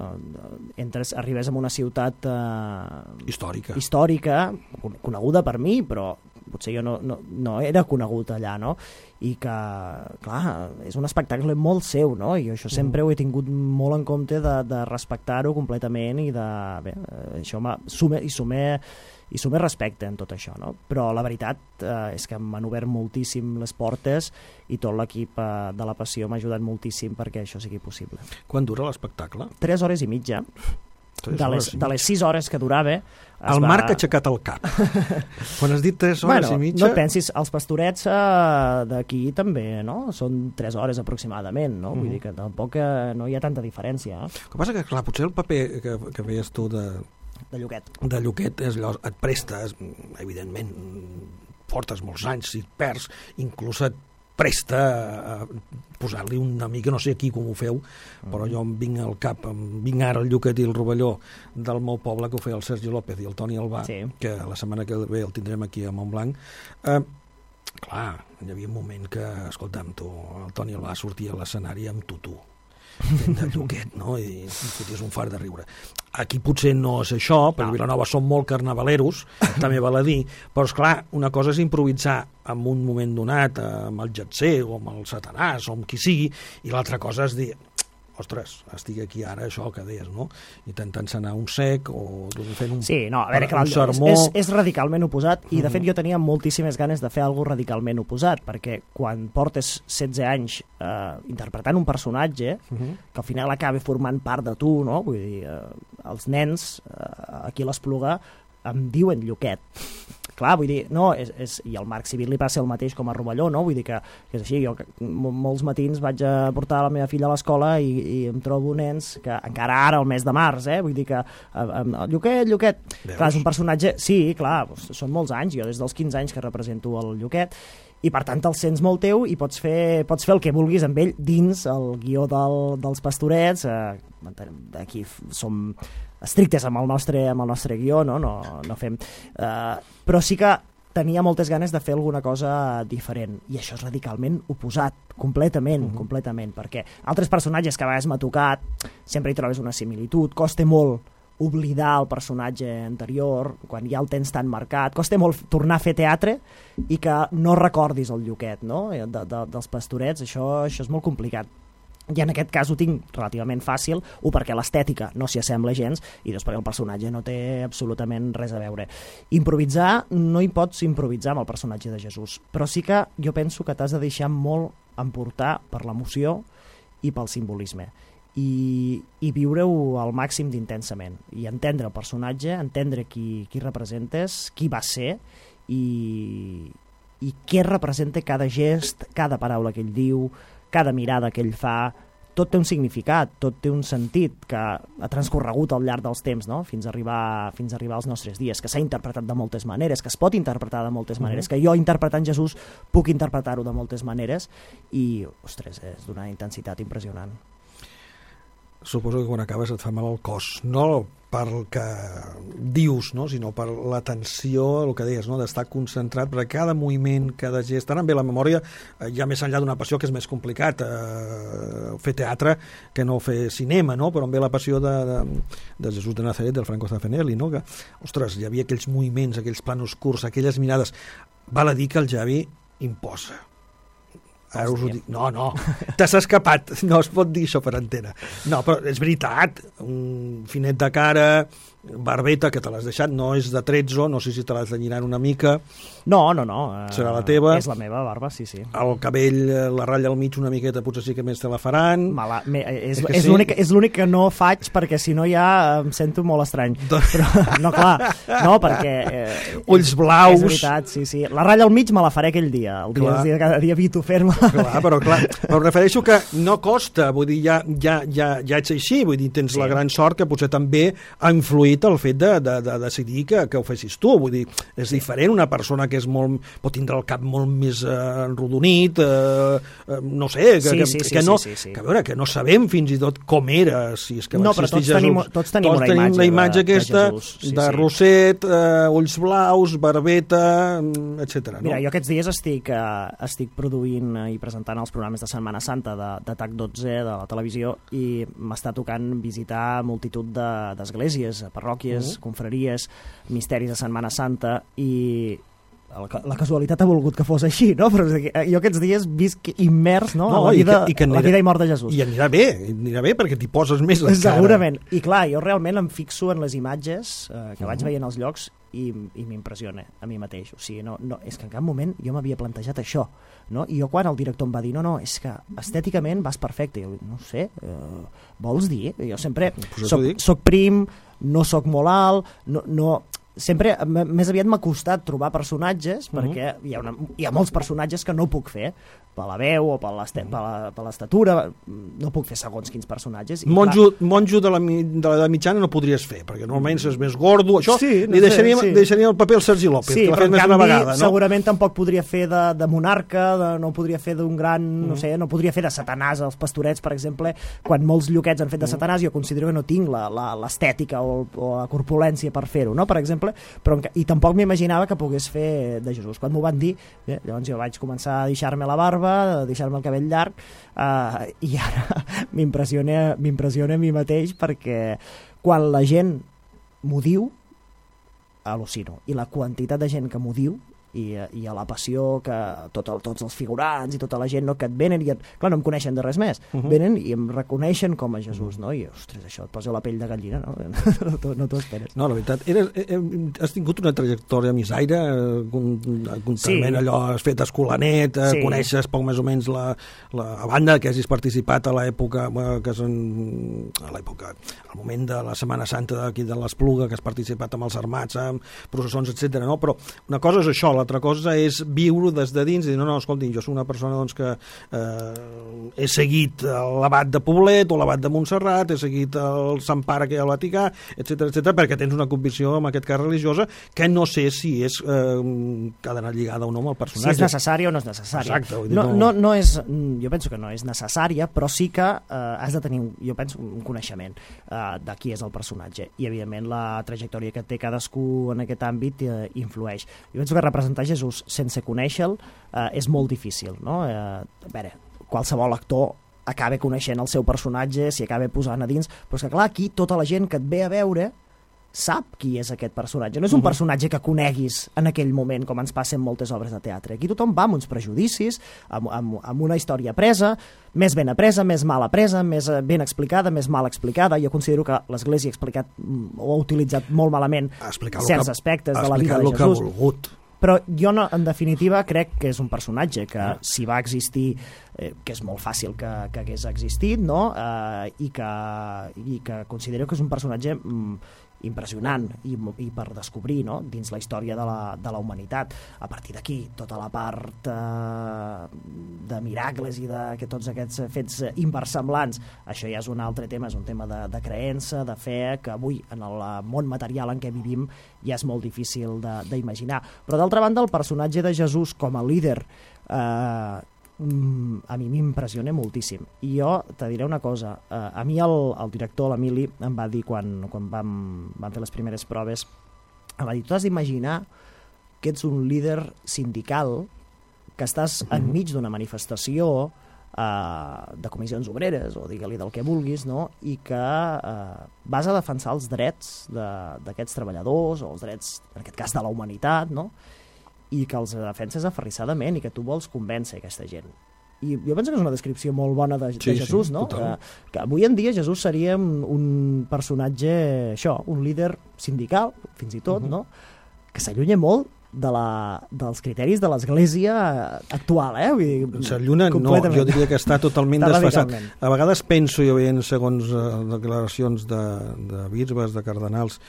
S2: Entres, arribes a una ciutat eh,
S1: històrica.
S2: històrica, coneguda per mi, però potser jo no, no, no era conegut allà, no? I que, clar, és un espectacle molt seu, no? I això sempre ho he tingut molt en compte de, de respectar-ho completament i de, bé, això sume, i sume i sume respecte en tot això, no? Però la veritat eh, és que m'han obert moltíssim les portes i tot l'equip eh, de la Passió m'ha ajudat moltíssim perquè això sigui possible.
S1: Quan dura l'espectacle?
S2: Tres hores i mitja. De les, de les sis hores que durava...
S1: El va... Marc ha aixecat el cap. Quan has dit tres hores
S2: bueno,
S1: i mitja...
S2: No et pensis, els pastorets eh, d'aquí també, no? Són tres hores aproximadament, no? Uh-huh. Vull dir que tampoc eh, no hi ha tanta diferència. Eh?
S1: El que passa que, clar, potser el paper que, que feies tu de...
S2: De Lluquet.
S1: De Lluquet és allò, et prestes, evidentment, portes molts anys, si et perds, inclús et presta a posar-li una mica, no sé aquí com ho feu, però jo em vinc al cap, em vinc ara el Lluquet i el Rovelló del meu poble, que ho feia el Sergi López i el Toni Albà, sí. Que la setmana que ve el tindrem aquí a Montblanc. Eh, clar, hi havia un moment que, escolta'm, tu, el Toni Albà sortia a l'escenari amb tutú, fent de Lluquet, no? I foties un far de riure. Aquí potser no és això, perquè a Vilanova som molt carnavaleros, també val a dir, però esclar, una cosa és improvisar en un moment donat amb el Jetser o amb el Satanàs o amb qui sigui, i l'altra cosa és dir, ostres, estic aquí ara, això que deies, no? Intentant sanar un sec o fent un,
S2: sí, no, a veure,
S1: un sermó...
S2: És, és radicalment oposat, i de fet jo tenia moltíssimes ganes de fer alguna radicalment oposat, perquè quan portes setze anys eh, interpretant un personatge uh-huh. que al final acaba formant part de tu, no? Vull dir, eh, els nens eh, aquí a l'Espluga em diuen Lluquet. clar, vull dir, no, és, és, i al Marc Civil li passa el mateix com a Rovelló, no? Vull dir que, que és així, jo que, molts matins vaig a portar la meva filla a l'escola i, i em trobo nens que encara ara, al mes de març, eh? Vull dir que el Lluquet, Lluquet,
S1: Veus?
S2: clar, és un personatge, sí, clar, són molts anys, jo des dels quinze anys que represento el Lluquet, i per tant el sents molt teu i pots fer, pots fer el que vulguis amb ell dins el guió del, dels Pastorets. Eh, aquí som estrictes amb el nostre, amb el nostre guió, no, no, no fem... Eh, però sí que tenia moltes ganes de fer alguna cosa diferent, i això és radicalment oposat, completament, mm-hmm. completament, perquè altres personatges que a vegades m'ha tocat sempre hi trobes una similitud, costa molt oblidar el personatge anterior quan ja el tens tan marcat, costa molt tornar a fer teatre i que no recordis el Lluquet, no? de, de, dels Pastorets, això, això és molt complicat. I en aquest cas ho tinc relativament fàcil, o perquè l'estètica no s'hi assembla gens, i dos perquè el personatge no té absolutament res a veure. Improvisar, no hi pots improvisar amb el personatge de Jesús, però sí que jo penso que t'has de deixar molt emportar per l'emoció i pel simbolisme. I, i viure-ho al màxim d'intensament i entendre el personatge, entendre qui, qui representes, qui va ser i, i què representa cada gest, cada paraula que ell diu, cada mirada que ell fa. Tot té un significat, tot té un sentit que ha transcorregut al llarg dels temps, no? fins, a arribar, fins a arribar als nostres dies, que s'ha interpretat de moltes maneres, que es pot interpretar de moltes maneres, mm-hmm. que jo interpretant Jesús puc interpretar-ho de moltes maneres i, ostres, és d'una intensitat impressionant.
S1: Suposo que quan acabes et fa mal el cos, no pel que dius, no? sinó per l'atenció, el que deies, no? d'estar concentrat, perquè cada moviment, cada gest, ara em ve la memòria, eh, ja més enllà d'una passió que és més complicat, eh, fer teatre que no fer cinema, no? però em ve la passió de, de, de Jesús de Nazaret, del Franco Zeffirelli, no? que, ostres, hi havia aquells moviments, aquells planos curts, aquelles mirades. Val a dir que el Javi imposa. Ara us ho dic. No, no, t'has escapat, no es pot dir això per antena. No, però és veritat, un finet de cara, barbeta, que te l'has deixat, no és de tretze, no sé si te l'has d'allinar una mica.
S2: No, no, no. Uh,
S1: Serà la teva.
S2: És la meva barba, sí, sí.
S1: El cabell, la ratlla al mig una miqueta, potser sí que més te la faran.
S2: Mala, me, és és, sí? és l'únic que no faig perquè si no ja em sento molt estrany. Però, no, clar, no, perquè... Eh,
S1: Ulls blaus.
S2: És veritat, sí, sí. La ratlla al mig me la faré aquell dia, el dia, el dia cada dia evito fer-me.
S1: Clar, però clar, però refereixo que no costa, vull dir, ja, ja, ja, ja ets així, vull dir, tens sí. la gran sort que potser també ha influït el fet de, de, de decidir que, que ho fessis tu, vull dir, és diferent una persona que és molt, pot tindre el cap molt més eh, enrodonit, eh, no sé, que,
S2: sí,
S1: que,
S2: sí, sí,
S1: que no,
S2: sí, sí, sí.
S1: que a veure, que no sabem fins i tot com era, si és que
S2: no, però tots
S1: Jesús.
S2: tenim, tots tenim
S1: tots
S2: una
S1: tenim
S2: imatge,
S1: la imatge
S2: de,
S1: aquesta,
S2: de, Jesús, sí,
S1: de
S2: sí.
S1: rosset, eh, ulls blaus, barbeta, etcètera.
S2: Mira,
S1: no?
S2: jo aquests dies estic, uh, estic produint uh, i presentant els programes de Setmana Santa de, de TAC dotze de la televisió i m'està tocant visitar multitud d'esglésies, de, parròquies, uh-huh. confraries, misteris de Setmana Santa i la casualitat ha volgut que fos així, no? Però jo aquests dies visc immers no? no, a la vida i, que, i, que anirà, la vida i mort de Jesús.
S1: I anirà bé, anirà bé perquè t'hi poses més la cara.
S2: Segurament. I clar, jo realment em fixo en les imatges eh, que vaig
S1: uh-huh.
S2: veient als llocs i, i m'impressiona a mi mateix. O sigui, no, no, és que en cap moment jo m'havia plantejat això. No? I jo quan el director em va dir no, no, és que estèticament vas perfecte. Jo, no sé, eh, vols dir? Jo sempre soc, soc prim, no soc molt alt, no... no sempre, més aviat m'ha costat trobar personatges, uh-huh. perquè hi ha, una, hi ha molts personatges que no puc fer, per la veu o per l'estatura, no puc fer segons quins personatges. I
S1: monjo, clar... monjo de la, de la mitjana no podries fer, perquè normalment és més gordo, això
S2: sí, no
S1: li deixaríem,
S2: sé, sí.
S1: deixaríem el paper al Sergi López,
S2: sí,
S1: que l'ha
S2: fet
S1: més
S2: canvi,
S1: una vegada. No?
S2: Segurament tampoc podria fer de, de monarca, de, no podria fer d'un gran, uh-huh. no sé, no podria fer de Satanàs, els Pastorets, per exemple, quan molts Lluquets han fet de uh-huh. Satanàs, jo considero que no tinc l'estètica o, o la corpulència per fer-ho, no? Per exemple, però, i tampoc m'imaginava que pogués fer de Jesús. Quan m'ho van dir, eh, llavors jo vaig començar a deixar-me la barba, a deixar-me el cabell llarg, eh, i ara m'impressiona m'impressiona a mi mateix perquè quan la gent m'ho diu, al·lucino. I la quantitat de gent que m'ho diu i, i a la passió que tot el, tots els figurants i tota la gent no, que et venen i et, clar, no em coneixen de res més, uh -huh. venen i em reconeixen com a Jesús, no? I, ostres, això et posa la pell de gallina, no? No, no t'ho esperes.
S1: No, la veritat, eres, eh, has tingut una trajectòria missaire, comptament sí. allò, has fet escolanet, eh, sí. coneixes poc més o menys la, la banda que hagis participat a l'època, que és en, a l'època, al moment de la Setmana Santa d'aquí de l'Espluga, que has participat amb els armats, amb processons, etcètera. No? Però una cosa és això, l'altra cosa és viure des de dins i dir, no, no, escolti, jo soc una persona doncs, que eh, he seguit l'abat de Poblet o l'abat de Montserrat, he seguit el Sant Pare que hi ha al Vaticà, etcètera, etcètera, perquè tens una convicció, en aquest cas religiosa, que no sé si és eh, que ha d'anar lligada o no amb el personatge.
S2: Si és necessària o no és necessària.
S1: Exacte. Vull dir,
S2: no,
S1: no...
S2: No, no és, jo penso que no és necessària, però sí que eh, has de tenir, jo penso, un coneixement eh, de qui és el personatge. I, evidentment, la trajectòria que té cadascú en aquest àmbit eh, influeix. Jo penso que representar Jesús sense conèixer-lo eh, és molt difícil, no? Eh, a veure, qualsevol actor acaba coneixent el seu personatge, s'hi acaba posant a dins, però és que, clar, aquí tota la gent que et ve a veure sap qui és aquest personatge. No és un personatge que coneguis en aquell moment, com ens passa en moltes obres de teatre. Aquí tothom va amb uns prejudicis, amb, amb, amb una història presa, més ben apresa, més mal apresa, més ben explicada, més mal explicada. Jo considero que l'Església ha explicat o ha utilitzat molt malament certs
S1: que,
S2: aspectes de la vida de Jesús.
S1: Ha explicat el que ha volgut.
S2: Però jo, no, en definitiva, crec que és un personatge que, si va existir, eh, que és molt fàcil que, que hagués existit, no? eh, i, que, i que considero que és un personatge mm, impressionant i, i per descobrir, no? Dins la història de la, de la humanitat. A partir d'aquí, tota la part eh, de miracles i de que tots aquests fets inversemblants, això ja és un altre tema, és un tema de, de creença, de fe, que avui, en el món material en què vivim, ja és molt difícil d'imaginar. Però, d'altra banda, el personatge de Jesús com a líder eh, a mi m'impressiona moltíssim. I jo te diré una cosa, uh, a mi el, el director, l'Emili, em va dir quan, quan vam, vam fer les primeres proves, em va dir, tu has d'imaginar que ets un líder sindical, que estàs enmig d'una manifestació uh, de comissions obreres, o digue-li del que vulguis, no? I que uh, vas a defensar els drets d'aquests treballadors, o els drets, en aquest cas, de la humanitat, no? I que els defenses aferrissadament i que tu vols convèncer aquesta gent. I jo penso que és una descripció molt bona de,
S1: sí,
S2: de Jesús,
S1: sí,
S2: no? Que, que avui en dia Jesús seria un, un personatge, això, un líder sindical, fins i tot, uh -huh. no? Que s'allunya molt de la, dels criteris de l'Església actual, eh?
S1: S'allunya, no, jo diria que està totalment està desfasat. A vegades penso, jo veient segons uh, declaracions de, de bisbes, de cardenals,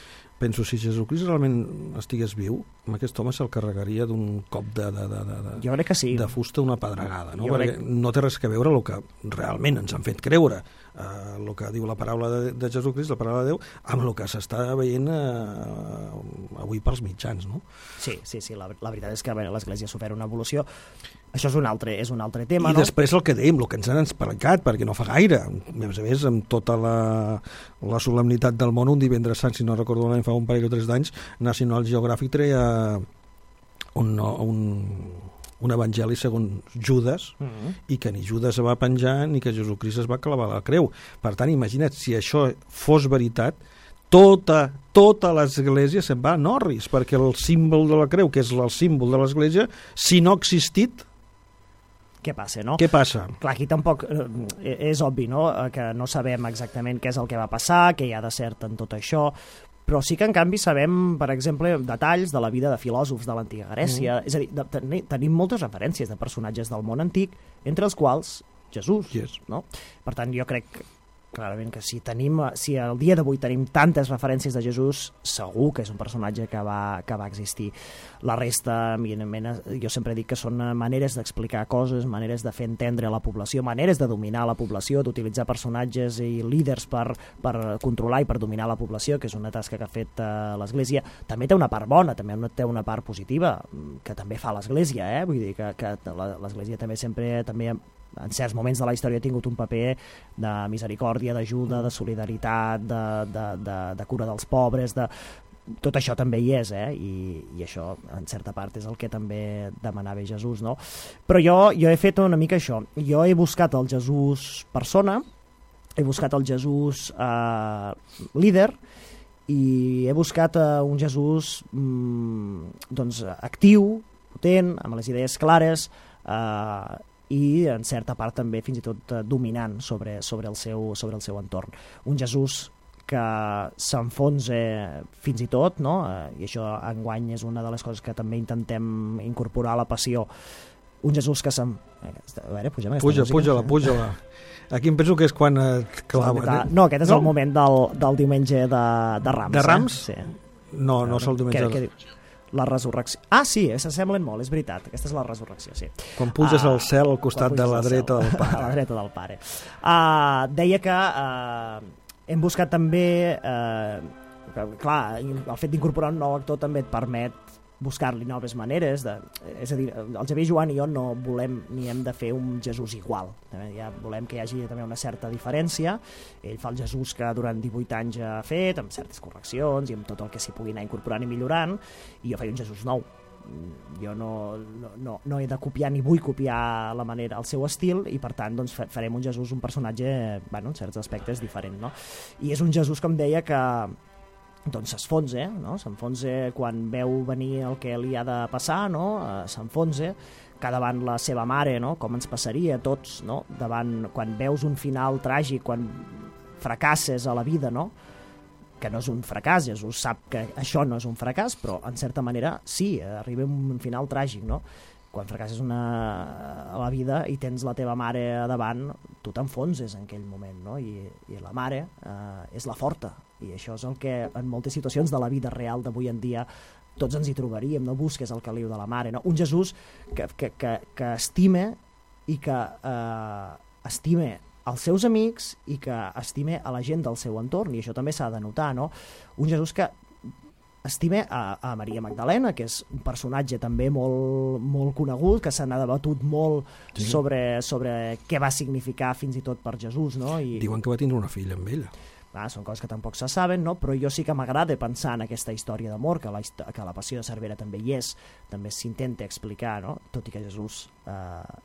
S1: penso, si Jesucrist realment estigués viu, amb aquest home se'l carregaria d'un cop de, de, de, de,
S2: jo crec que sí.
S1: de fusta una pedregada, no?
S2: Jo
S1: Perquè
S2: crec...
S1: no té res que veure el que realment ens han fet creure, eh, el que diu la paraula de, de Jesucrist, la paraula de Déu, amb el que s'està veient eh, avui pels mitjans, no?
S2: Sí, sí, sí, la, la veritat és que l'Església ha sofert una evolució. Això és un altre, és un altre tema,
S1: I
S2: no?
S1: després el que dèiem, el que ens han explicat, perquè no fa gaire, a més a més, amb tota la, la solemnitat del món, un divendres sant, si no recordo l'any, fa un parell o tres d'anys, National Geographic treia un, un, un evangeli segons Judas, uh -huh. i que ni Judas es va penjar ni que Jesucrist es va clavar a la creu. Per tant, imagina't, si això fos veritat, tota, tota l'Església se'n va a Norris, perquè el símbol de la creu, que és el símbol de l'Església, si no ha existit,
S2: què passa, no?
S1: Què passa?
S2: Clar, aquí tampoc eh, és obvi, no?, que no sabem exactament què és el que va passar, què hi ha de cert en tot això, però sí que en canvi sabem, per exemple, detalls de la vida de filòsofs de l'antiga Grècia, mm. és a dir, de, ten, tenim moltes referències de personatges del món antic, entre els quals Jesús,
S1: yes.
S2: no? Per tant, jo crec clarament que si tenim, si al dia d'avui tenim tantes referències de Jesús, segur que és un personatge que va, que va existir. La resta, evidentment, jo sempre dic que són maneres d'explicar coses, maneres de fer entendre a la població, maneres de dominar la població, d'utilitzar personatges i líders per, per controlar i per dominar la població, que és una tasca que ha fet uh, l'Església. També té una part bona, també té una part positiva, que també fa l'Església, eh? Vull dir que, que l'Església també sempre... també en certs moments de la història ha tingut un paper de misericòrdia, d'ajuda, de solidaritat, de, de, de, de cura dels pobres, de... tot això també hi és, eh? I, i això en certa part és el que també demanava Jesús, no? Però jo, jo he fet una mica això, jo he buscat el Jesús persona, he buscat el Jesús eh, líder, i he buscat eh, un Jesús mm, doncs actiu, potent, amb les idees clares, eh, i en certa part també fins i tot eh, dominant sobre, sobre, el seu, sobre el seu entorn. Un Jesús que s'enfonsa fins i tot, no? Eh, i això enguany és una de les coses que també intentem incorporar a la passió. Un Jesús que se'n... A veure, pugem aquesta
S1: puja,
S2: música.
S1: Puja-la, puja-la. Aquí em penso que és quan et clava.
S2: No, aquest és
S1: no?
S2: el moment del, del diumenge de, de Rams.
S1: De Rams?
S2: Eh? Sí.
S1: No, no és el diumenge.
S2: Què, què diu? La resurrecció. Ah, sí, s'assemblen molt, és veritat. Aquesta és la resurrecció, sí.
S1: Quan puges
S2: uh,
S1: al cel al costat de la dreta del pare.
S2: A la dreta del pare. Uh, deia que uh, hem buscat també... Uh, que, clar, el fet d'incorporar un nou actor també et permet buscar-li noves maneres. De, és a dir, el Xavier Joan i jo no volem ni hem de fer un Jesús igual. Ja volem que hi hagi també una certa diferència. Ell fa el Jesús que durant divuit anys ha fet, amb certes correccions i amb tot el que s'hi pugui anar incorporant i millorant, i jo faig un Jesús nou. Jo no, no, no, no he de copiar ni vull copiar la manera, el seu estil, i per tant doncs, farem un Jesús, un personatge, bueno, en certs aspectes diferent, no? I és un Jesús, com deia, que doncs s'enfonsa, no? S'enfonsa quan veu venir el que li ha de passar, no? S'enfonsa que davant la seva mare, no? Com ens passaria a tots, no? Davant, quan veus un final tràgic, quan fracasses a la vida, no? Que no és un fracàs, Jesús sap que això no és un fracàs, però en certa manera sí, arriba un final tràgic, no? Quan fracasses una, a la vida i tens la teva mare a davant, tu t'enfonses en aquell moment, no? I, i la mare eh, és la forta, i això és el que en moltes situacions de la vida real d'avui en dia tots ens hi trobaríem, no busques el caliu de la mare, no? Un Jesús que, que, que, que estime i que eh, estime els seus amics i que estime a la gent del seu entorn, i això també s'ha de notar, no? Un Jesús que estime a, a Maria Magdalena, que és un personatge també molt, molt conegut, que se n'ha debatut molt sí. sobre, sobre què va significar fins i tot per Jesús, no? I
S1: diuen que va tindre una filla amb ella.
S2: Ah, són coses que tampoc se saben, no? Però jo sí que m'agrada pensar en aquesta història d'amor, que, la, que la passió de Cervera també hi és, també s'intenta explicar, no? Tot i que Jesús, eh,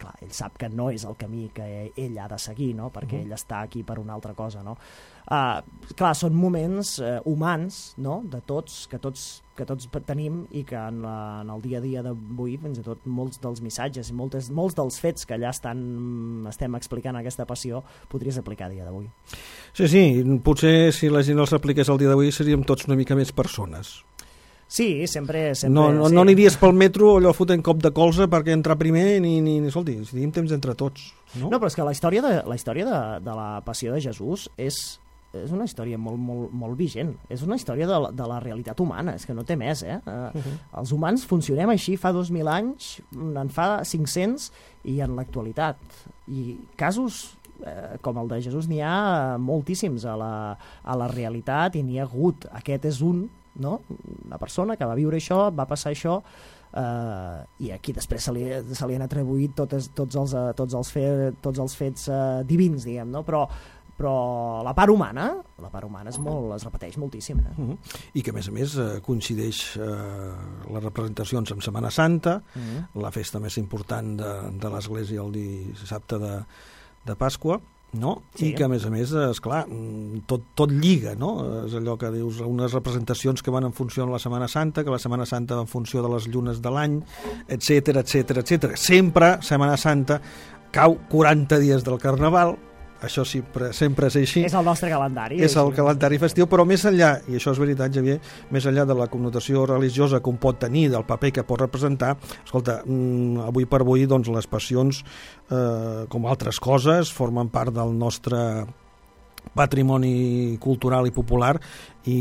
S2: clar, ell sap que no és el camí que ell ha de seguir, no? Perquè uh-huh. ell està aquí per una altra cosa, no? Uh, clar, són moments uh, humans, no? De tots, que tots, que tots tenim, i que en, la, en el dia a dia d'avui, fins i tot molts dels missatges i moltes, molts dels fets que allà estan, estem explicant aquesta passió, podries aplicar a dia d'avui.
S1: Sí, sí, potser si la gent els apliqués al dia d'avui seríem tots una mica més persones.
S2: Sí, sempre... sempre
S1: no, no,
S2: sí.
S1: no aniries pel metro allò fotent cop de colze perquè entrar primer ni... ni, ni escolti, si tenim temps entre tots. No,
S2: no però és que la història de la, història de, de la passió de Jesús és, és una història molt, molt, molt vigent. És una història de la, de la realitat humana, és que no té més, eh? Uh, uh-huh. Els humans funcionem així fa dos mil anys, en fa cinc-cents, i en l'actualitat. I casos eh, com el de Jesús n'hi ha moltíssims a la, a la realitat, i n'hi ha hagut. Aquest és un, no? Una persona que va viure això, va passar això, eh, i aquí després se li, se li han atribuït totes, tots, els, tots, els fe, tots els fets eh, divins, diguem, no? Però però la part humana, la part humana és molt, es repeteix moltíssim. Eh?
S1: Uh-huh. I que, a més a més, eh, coincideix eh, les representacions amb Setmana Santa, uh-huh. la festa més important de, de l'Església el dissabte de, de Pasqua, no? Sí. I que, a més a més, esclar, tot, tot lliga, no? És allò que dius, unes representacions que van en funció de la Setmana Santa, que la Setmana Santa va en funció de les llunes de l'any, etcètera, etcètera, etcètera. Sempre, Setmana Santa, cau quaranta dies del Carnaval. Això sempre, sempre és així.
S2: És el nostre calendari.
S1: És el calendari festiu, però més enllà, i això és veritat, Xavier, més enllà de la connotació religiosa que un pot tenir, del paper que pot representar, escolta, avui per avui, doncs, les passions, eh, com altres coses, formen part del nostre patrimoni cultural i popular, i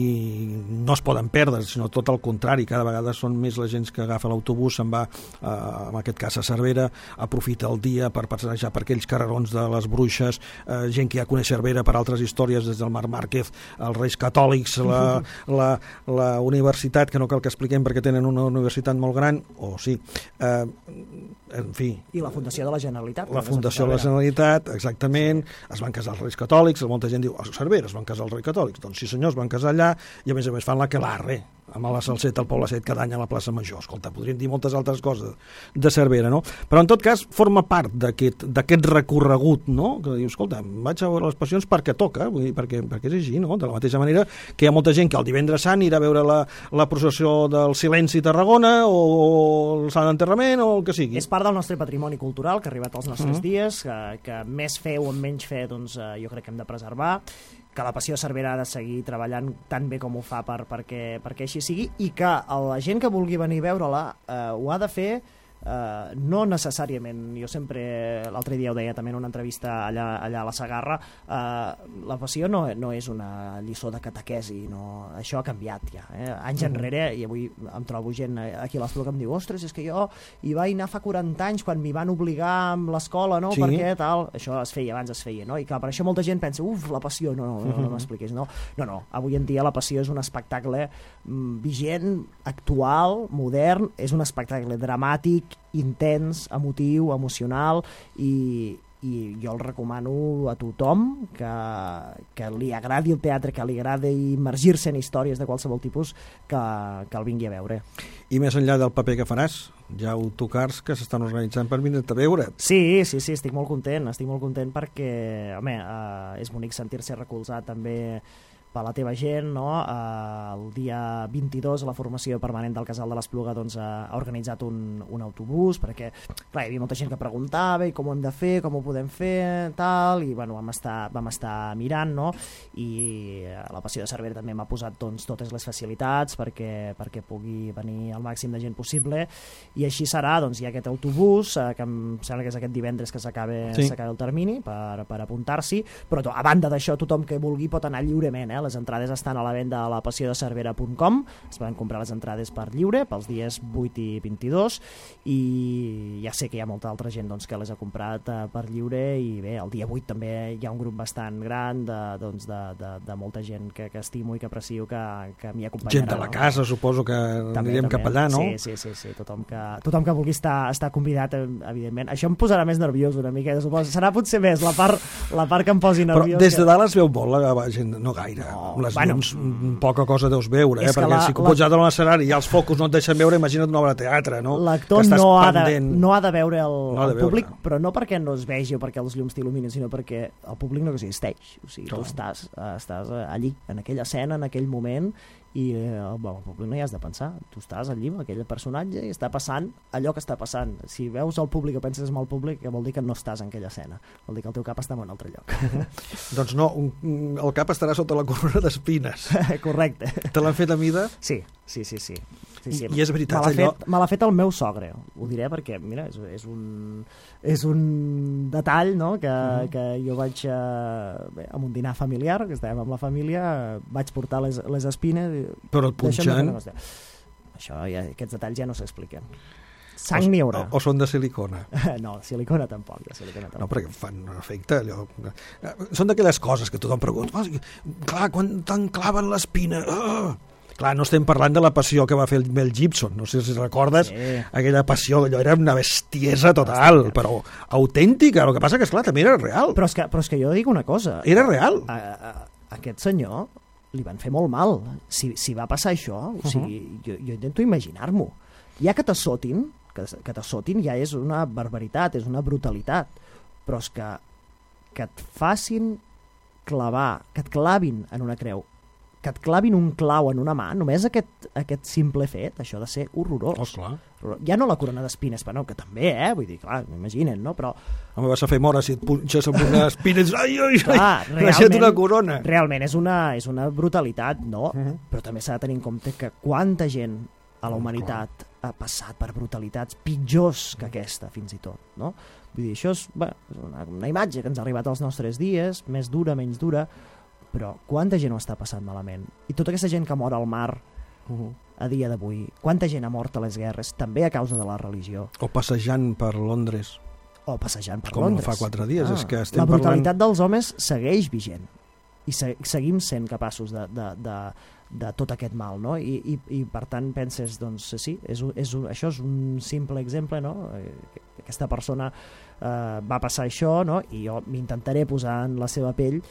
S1: no es poden perdre, sinó tot el contrari, cada vegada són més la gent que agafa l'autobús, se'n va, eh, en aquest cas a Cervera, aprofita el dia per passejar per aquells carrerons de les Bruixes, eh, gent que ja coneix Cervera per altres històries, des del Marc Márquez, els Reis Catòlics, la, la, la universitat, que no cal que expliquem perquè tenen una universitat molt gran, o sí, eh, en fi.
S2: I la Fundació de la Generalitat.
S1: La Fundació de la Generalitat, exactament, es van casar els Reis Catòlics, molta gent diu, a Cervera es van casar els Reis Catòlics, doncs sí senyor, es van casar allà, i a més a més fan la quelarre, amb la salseta al Poble Set cada any a la plaça Major. Escolta, podríem dir moltes altres coses de Cervera, no? Però en tot cas forma part d'aquest d'aquest recorregut, no? Que dius, escolta, vaig a veure les passions perquè toca, vull dir, perquè, perquè és així, no? De la mateixa manera que hi ha molta gent que el divendres sant irà a veure la, la processió del Silenci a Tarragona o el Sant Enterrament o el que sigui.
S2: És part del nostre patrimoni cultural que ha arribat als nostres
S1: Mm.
S2: dies, que, que més fer o menys fer, doncs eh, jo crec que hem de preservar, que la Passió de Cervera ha de seguir treballant tan bé com ho fa per, perquè, perquè així sigui, i que la gent que vulgui venir a veure-la eh, ho ha de fer eh, no necessàriament, jo sempre l'altre dia ho deia també en una entrevista allà, allà a la Segarra, eh, la Passió no, no és una lliçó de catequesi, no, això ha canviat ja, eh? anys enrere, i avui em trobo gent aquí a l'Espluga que em diu, ostres, és que jo hi vaig anar fa quaranta anys quan m'hi van obligar amb l'escola, no?
S1: Sí.
S2: Perquè tal, això es feia, abans es feia, no? I clar, per això molta gent pensa, uf, la Passió, no, no, no, no m'expliquis, no, no, no, avui en dia la Passió és un espectacle mm, vigent, actual, modern, és un espectacle dramàtic, intens, emotiu, emocional, i, i jo el recomano a tothom que, que li agradi el teatre, que li agradi immergir-se en històries de qualsevol tipus, que, que el vingui a veure.
S1: I més enllà del paper que faràs, hi ha autocars que s'estan organitzant per venir-te a veure.
S2: Sí, sí, sí, estic molt content, estic molt content perquè, home, eh, és bonic sentir-se recolzat també per la teva gent, no? Eh, el dia vint-i-dos la formació permanent del Casal de l'Espluga doncs, ha organitzat un, un autobús, perquè clar, hi havia molta gent que preguntava i com ho hem de fer, com ho podem fer, tal, i bueno, vam estar, vam estar mirant, no? I la Passió de Cervera també m'ha posat doncs, totes les facilitats perquè, perquè pugui venir el màxim de gent possible, i així serà, doncs hi ha aquest autobús, eh, que em sembla que és aquest divendres que s'acaba
S1: sí.
S2: el termini per, per apuntar-s'hi, però to, a banda d'això tothom que vulgui pot anar lliurement, eh? Les entrades estan a la venda a la passió de cervera punt com, es poden comprar les entrades per lliure pels dies vuit i vint-i-dos, i ja sé que hi ha molta altra gent doncs, que les ha comprat eh, per lliure, i bé, el dia vuit també hi ha un grup bastant gran de, doncs, de, de, de molta gent que, que estimo i que aprecio que, que m'hi acompanyarà.
S1: Gent de la casa, no? Suposo que
S2: també,
S1: anirem
S2: també.
S1: cap allà, no?
S2: Sí, sí, sí, sí. Tothom, que, tothom que vulgui estar, estar convidat, evidentment. Això em posarà més nerviós una mica, suposo. Serà potser més la part, la part que em posi nerviós.
S1: Però des de
S2: que...
S1: dalt es veu molt la gent, no gaire.
S2: No,
S1: les
S2: bueno,
S1: llums, poca cosa deus veure, eh? Perquè
S2: la,
S1: si pots ja a l'escenari i els focus no et deixen veure, imagina't una obra de teatre, no?
S2: L'actor no, ha de, no ha de veure el, no el públic, veure. Però no perquè no es vegi o perquè els llums t'il·luminen, sinó perquè el públic no existeix. O sigui, Clar. tu estàs, estàs allí, en aquella escena, en aquell moment, i eh, el, el públic no hi has de pensar. Tu estàs allí amb aquell personatge i està passant allò que està passant. Si veus el públic o penses en el públic, vol dir que no estàs en aquella escena. Vol dir que el teu cap està en un altre lloc.
S1: Doncs no, el cap estarà sota la corona d'espines.
S2: Correcte.
S1: Te l'han fet a mida?
S2: Sí, sí, sí, sí. Sí, sí.
S1: I és veritat,
S2: me
S1: allò...
S2: Fet, me l'ha fet el meu sogre, ho diré perquè, mira, és, és, un, és un detall, no?, que, uh-huh. que jo vaig, eh, bé, amb un dinar familiar, que estàvem amb la família, vaig portar les, les espines...
S1: Però el punxant...
S2: Això, ja, aquests detalls ja no s'expliquen. Sang n'hi haurà.
S1: O, o són de silicona?
S2: No, de silicona tampoc, de silicona tampoc.
S1: No, perquè fan efecte allò... Són d'aquelles coses que tothom pregunta, oh, clar, quan t'enclaven l'espina... Oh! Clar, no estem parlant de la passió que va fer el Mel Gibson, no sé si recordes, sí. Aquella passió, allò era una bestiesa total, però autèntica, el que passa que, esclar, també era real.
S2: Però és que, però és que jo dic una cosa...
S1: Era real.
S2: A, a, a aquest senyor li van fer molt mal. Si, si va passar això, o sigui, uh-huh. jo, jo intento imaginar-m'ho. Ja que t'assotin, que, que t'assotin ja és una barbaritat, és una brutalitat, però és que, que et facin clavar, que et clavin en una creu, que et clavin un clau en una mà, només aquest, aquest simple fet, això ha de ser horrorós.
S1: Oh, clar.
S2: Ja no la corona d'espines, però no, que també, eh? Vull dir, clar, m'imaginen, no? Però...
S1: Home, vas a fer mora si et punxes amb una espina i dius, ai, ai, ai,
S2: clar,
S1: realment, una corona.
S2: Realment és una, és una brutalitat, no? Uh-huh. Però també s'ha de tenir en compte que quanta gent a la humanitat uh, ha passat per brutalitats pitjors que aquesta, fins i tot, no? Vull dir, això és, bé, és una, una imatge que ens ha arribat als nostres dies, més dura, menys dura, però quanta gent ho està passant malament? I tota aquesta gent que mor al mar uh-huh. a dia d'avui, quanta gent ha mort a les guerres, també a causa de la religió?
S1: O passejant per Londres.
S2: O passejant per
S1: Com
S2: Londres.
S1: Com fa quatre dies. Ah, és que estem
S2: la brutalitat
S1: parlant...
S2: dels homes segueix vigent. I se seguim sent capaços de, de, de, de tot aquest mal, no? I, i, i per tant penses, doncs sí, és, és un, això és un simple exemple, no? Aquesta persona eh, va passar això, no? I jo m'intentaré posar en la seva pell,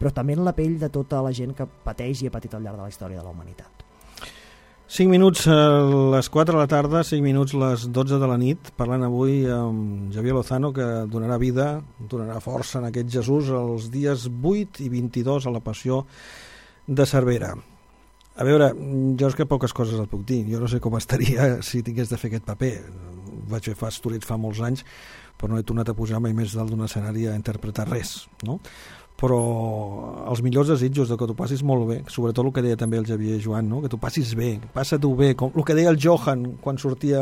S2: però també en la pell de tota la gent que pateix i ha patit al llarg de la història de la humanitat.
S1: cinc minuts a les quatre de la tarda, cinc minuts a les dotze de la nit, parlant avui amb Xavier Lozano, que donarà vida, donarà força en aquest Jesús els dies vuit i vint-i-dos a la Passió de Cervera. A veure, jo és que poques coses et puc dir. Jo no sé com estaria si tingués de fer aquest paper. Ho vaig fer fa estorits fa molts anys, però no he tornat a pujar mai més dalt d'un escenari a interpretar res, no? Però els millors desitjos de que t'ho passis molt bé, sobretot el que deia també el Xavier Joan, no? Que t'ho passis bé, passa-t'ho bé, com el que deia el Johan quan sortia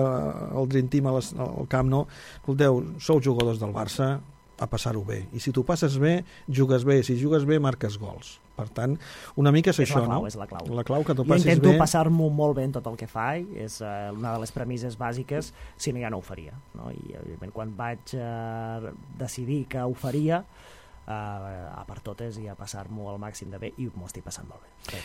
S1: el Dream Team al camp, no? Escolteu, sou jugadors del Barça, a passar-ho bé, i si t'ho passes bé, jugues bé, si jugues bé, marques gols. Per tant, una mica és, és això,
S2: clau,
S1: no?
S2: És la clau,
S1: la clau que t'ho
S2: jo
S1: passis bé.
S2: Jo intento passar-m'ho molt bé en tot el que faig, és uh, una de les premisses bàsiques, si no ja no ho faria, no? I evidentment quan vaig uh, decidir que ho faria, Uh, a per totes i a passar-m'ho al màxim de bé, i m'ho estic passant molt bé.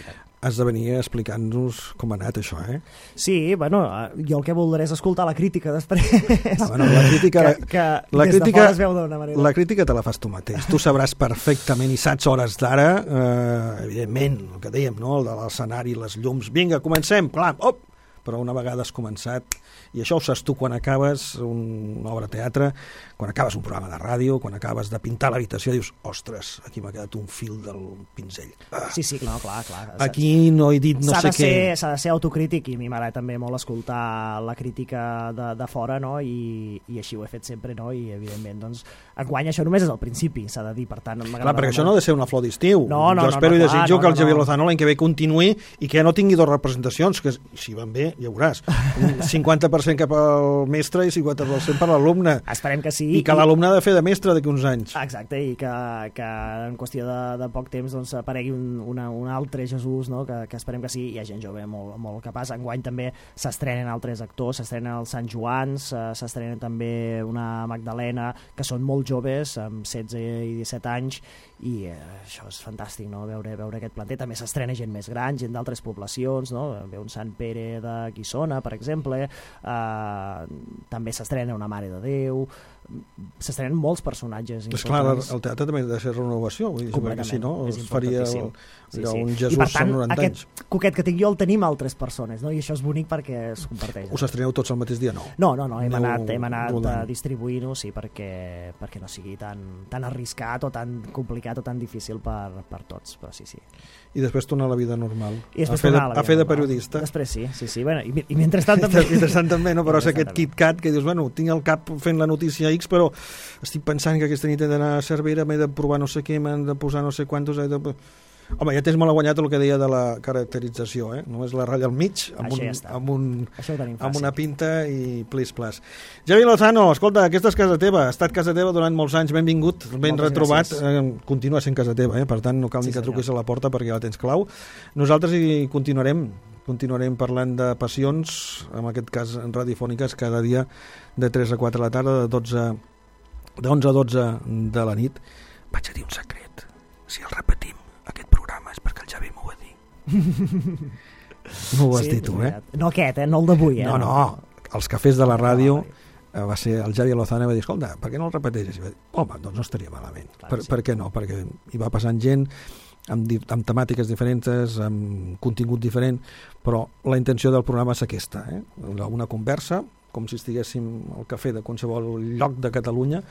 S1: Has de venir explicant-nos com ha anat això, eh?
S2: Sí, bueno, uh, jo el que voldré és escoltar la crítica després.
S1: Ah, bueno, la crítica,
S2: que, que
S1: la
S2: des
S1: crítica,
S2: de fora es veu d'una manera.
S1: La crítica te la fas tu mateix. Tu sabràs perfectament i saps hores d'ara, eh, evidentment, el que dèiem, no? El de l'escenari, les llums. Vinga, comencem, clar, op! Però una vegada has començat, i això ho saps tu quan acabes una obra de teatre, quan acabes un programa de ràdio, quan acabes de pintar l'habitació, dius, ostres, aquí m'ha quedat un fil del pinzell. Ah.
S2: Sí, sí, no, clar, clar.
S1: Aquí no he dit no sé
S2: què. S'ha de ser autocrític, i a mi m'agrada també molt escoltar la crítica de, de fora, no? I, i així ho he fet sempre, no? I evidentment, doncs, enguany això només és el principi, s'ha de dir, per tant...
S1: Clar, perquè això no ha de ser una flor d'estiu.
S2: No, no,
S1: jo espero
S2: no, no,
S1: i desitjo
S2: clar, no,
S1: que el Xavier
S2: no.
S1: Lozano l'any que ve continuï i que ja no tingui dues representacions, que si van bé, ja veuràs. Un cinquanta per cent cap al mestre i cinquanta per cent per l'alumne.
S2: Esperem que sí.
S1: I que l'alumne ha de fer de mestre d'aquí uns anys.
S2: Exacte, i que, que en qüestió de, de poc temps doncs, aparegui un, una, un altre Jesús, no? que, que esperem que sí. Hi ha gent jove molt, molt capaç. Enguany també s'estrenen altres actors, s'estrenen els Sant Joans, s'estrenen també una Magdalena, que són molt joves, amb setze i disset anys, i eh, això és fantàstic, no? veure, veure aquest planter. També s'estrena gent més gran, gent d'altres poblacions, no? Ve un Sant Pere de Guissona, per exemple, eh, també s'estrena una Mare de Déu, s'estrenen molts personatges
S1: importants. És clar, el teatre també ha de ser renovació, vull dir, que si no es faria el,
S2: sí, sí.
S1: un Jesús
S2: per tant,
S1: amb noranta
S2: aquest
S1: anys.
S2: Coquet que tinc jo el tenim altres persones, no? I això és bonic perquè es comparteix.
S1: Us estreneu tots al mateix dia? No,
S2: no, no, no hem
S1: Aneu
S2: anat, hem anat
S1: rodant.
S2: distribuint-ho, sí, perquè, perquè no sigui tan, tan arriscat o tan complicat o tan difícil per, per tots, però sí, sí.
S1: I després tornar a la vida normal,
S2: I
S1: a fer de, a fer de periodista.
S2: Després sí, sí, sí. Bueno, i, i mentrestant també.
S1: I mentrestant també, no? Però és aquest KitKat que dius, bueno, tinc el cap fent la notícia X, però estic pensant que aquesta nit he d'anar a Cervera, m'he de provar no sé què, m'han de posar no sé quantos... He de... Home, ja tens molt guanyat el que deia de la caracterització, eh? Només la ratlla al mig, amb, un,
S2: ja
S1: amb, un, amb una
S2: fàcil.
S1: pinta i plis plas. Xavier Lozano, escolta, aquesta és casa teva, ha estat casa teva durant molts anys, benvingut, ben
S2: Moltes
S1: retrobat, eh, continua sent casa teva, eh? Per tant no cal sí, ni que senyor. Truquis a la porta perquè ja la tens clau. Nosaltres hi continuarem, continuarem parlant de passions, en aquest cas radiofòniques, cada dia de tres a quatre de la tarda, de dotze, de onze a dotze de la nit. Vaig a dir un secret, si el repetim, aquest programa és perquè el Xavi m'ho va dir. No ho has
S2: sí,
S1: dit tu, eh?
S2: No aquest, eh? No el d'avui, eh?
S1: No, no, els cafès de la ràdio eh, va ser el Xavi Lozano i va dir, escolta, per què no el repeteixes? I va dir, home, doncs no estaria malament.
S2: Clar,
S1: per,
S2: sí.
S1: per què no? Perquè hi va passant gent amb, amb temàtiques diferents, amb contingut diferent, però la intenció del programa és aquesta, eh? Una conversa, com si estiguéssim al cafè de qualsevol lloc de Catalunya,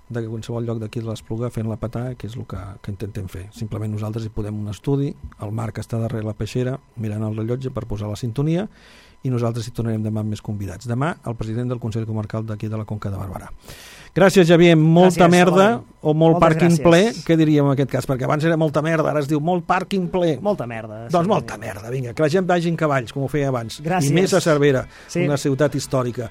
S1: de qualsevol lloc d'aquí de l'Espluga fent la patà, que és el que, que intentem fer. Simplement nosaltres hi podem un estudi, el Marc està darrere la peixera mirant el rellotge per posar la sintonia i nosaltres hi tornarem demà amb més convidats. Demà el president del Consell Comarcal d'aquí de la Conca de Barberà. Gràcies, Xavier. Molta gràcies, merda o molt Moltes pàrquing gràcies. Ple, què diríem en aquest cas? Perquè abans era molta merda, ara es diu molt pàrquing ple.
S2: Molta merda.
S1: Doncs sí, molta merda, vinga, que la gent vagi en cavalls, com ho feia abans.
S2: Gràcies.
S1: I més a Cervera,
S2: sí.
S1: Una ciutat històrica.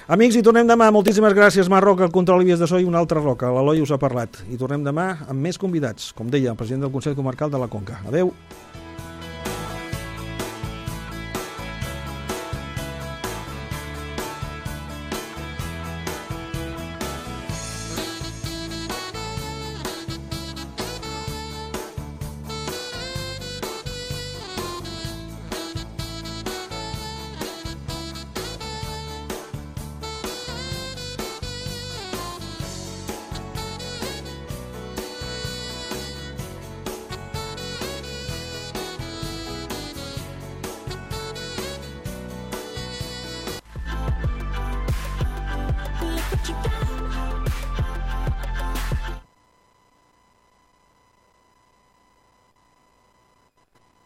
S1: Amics, hi tornem demà. Moltíssimes gràcies, Marc Roca, el control i vies de so i una altra roca. L'Eloi us ha parlat. I tornem demà amb més convidats, com deia el president del Consell Comarcal de la Conca. Adeu.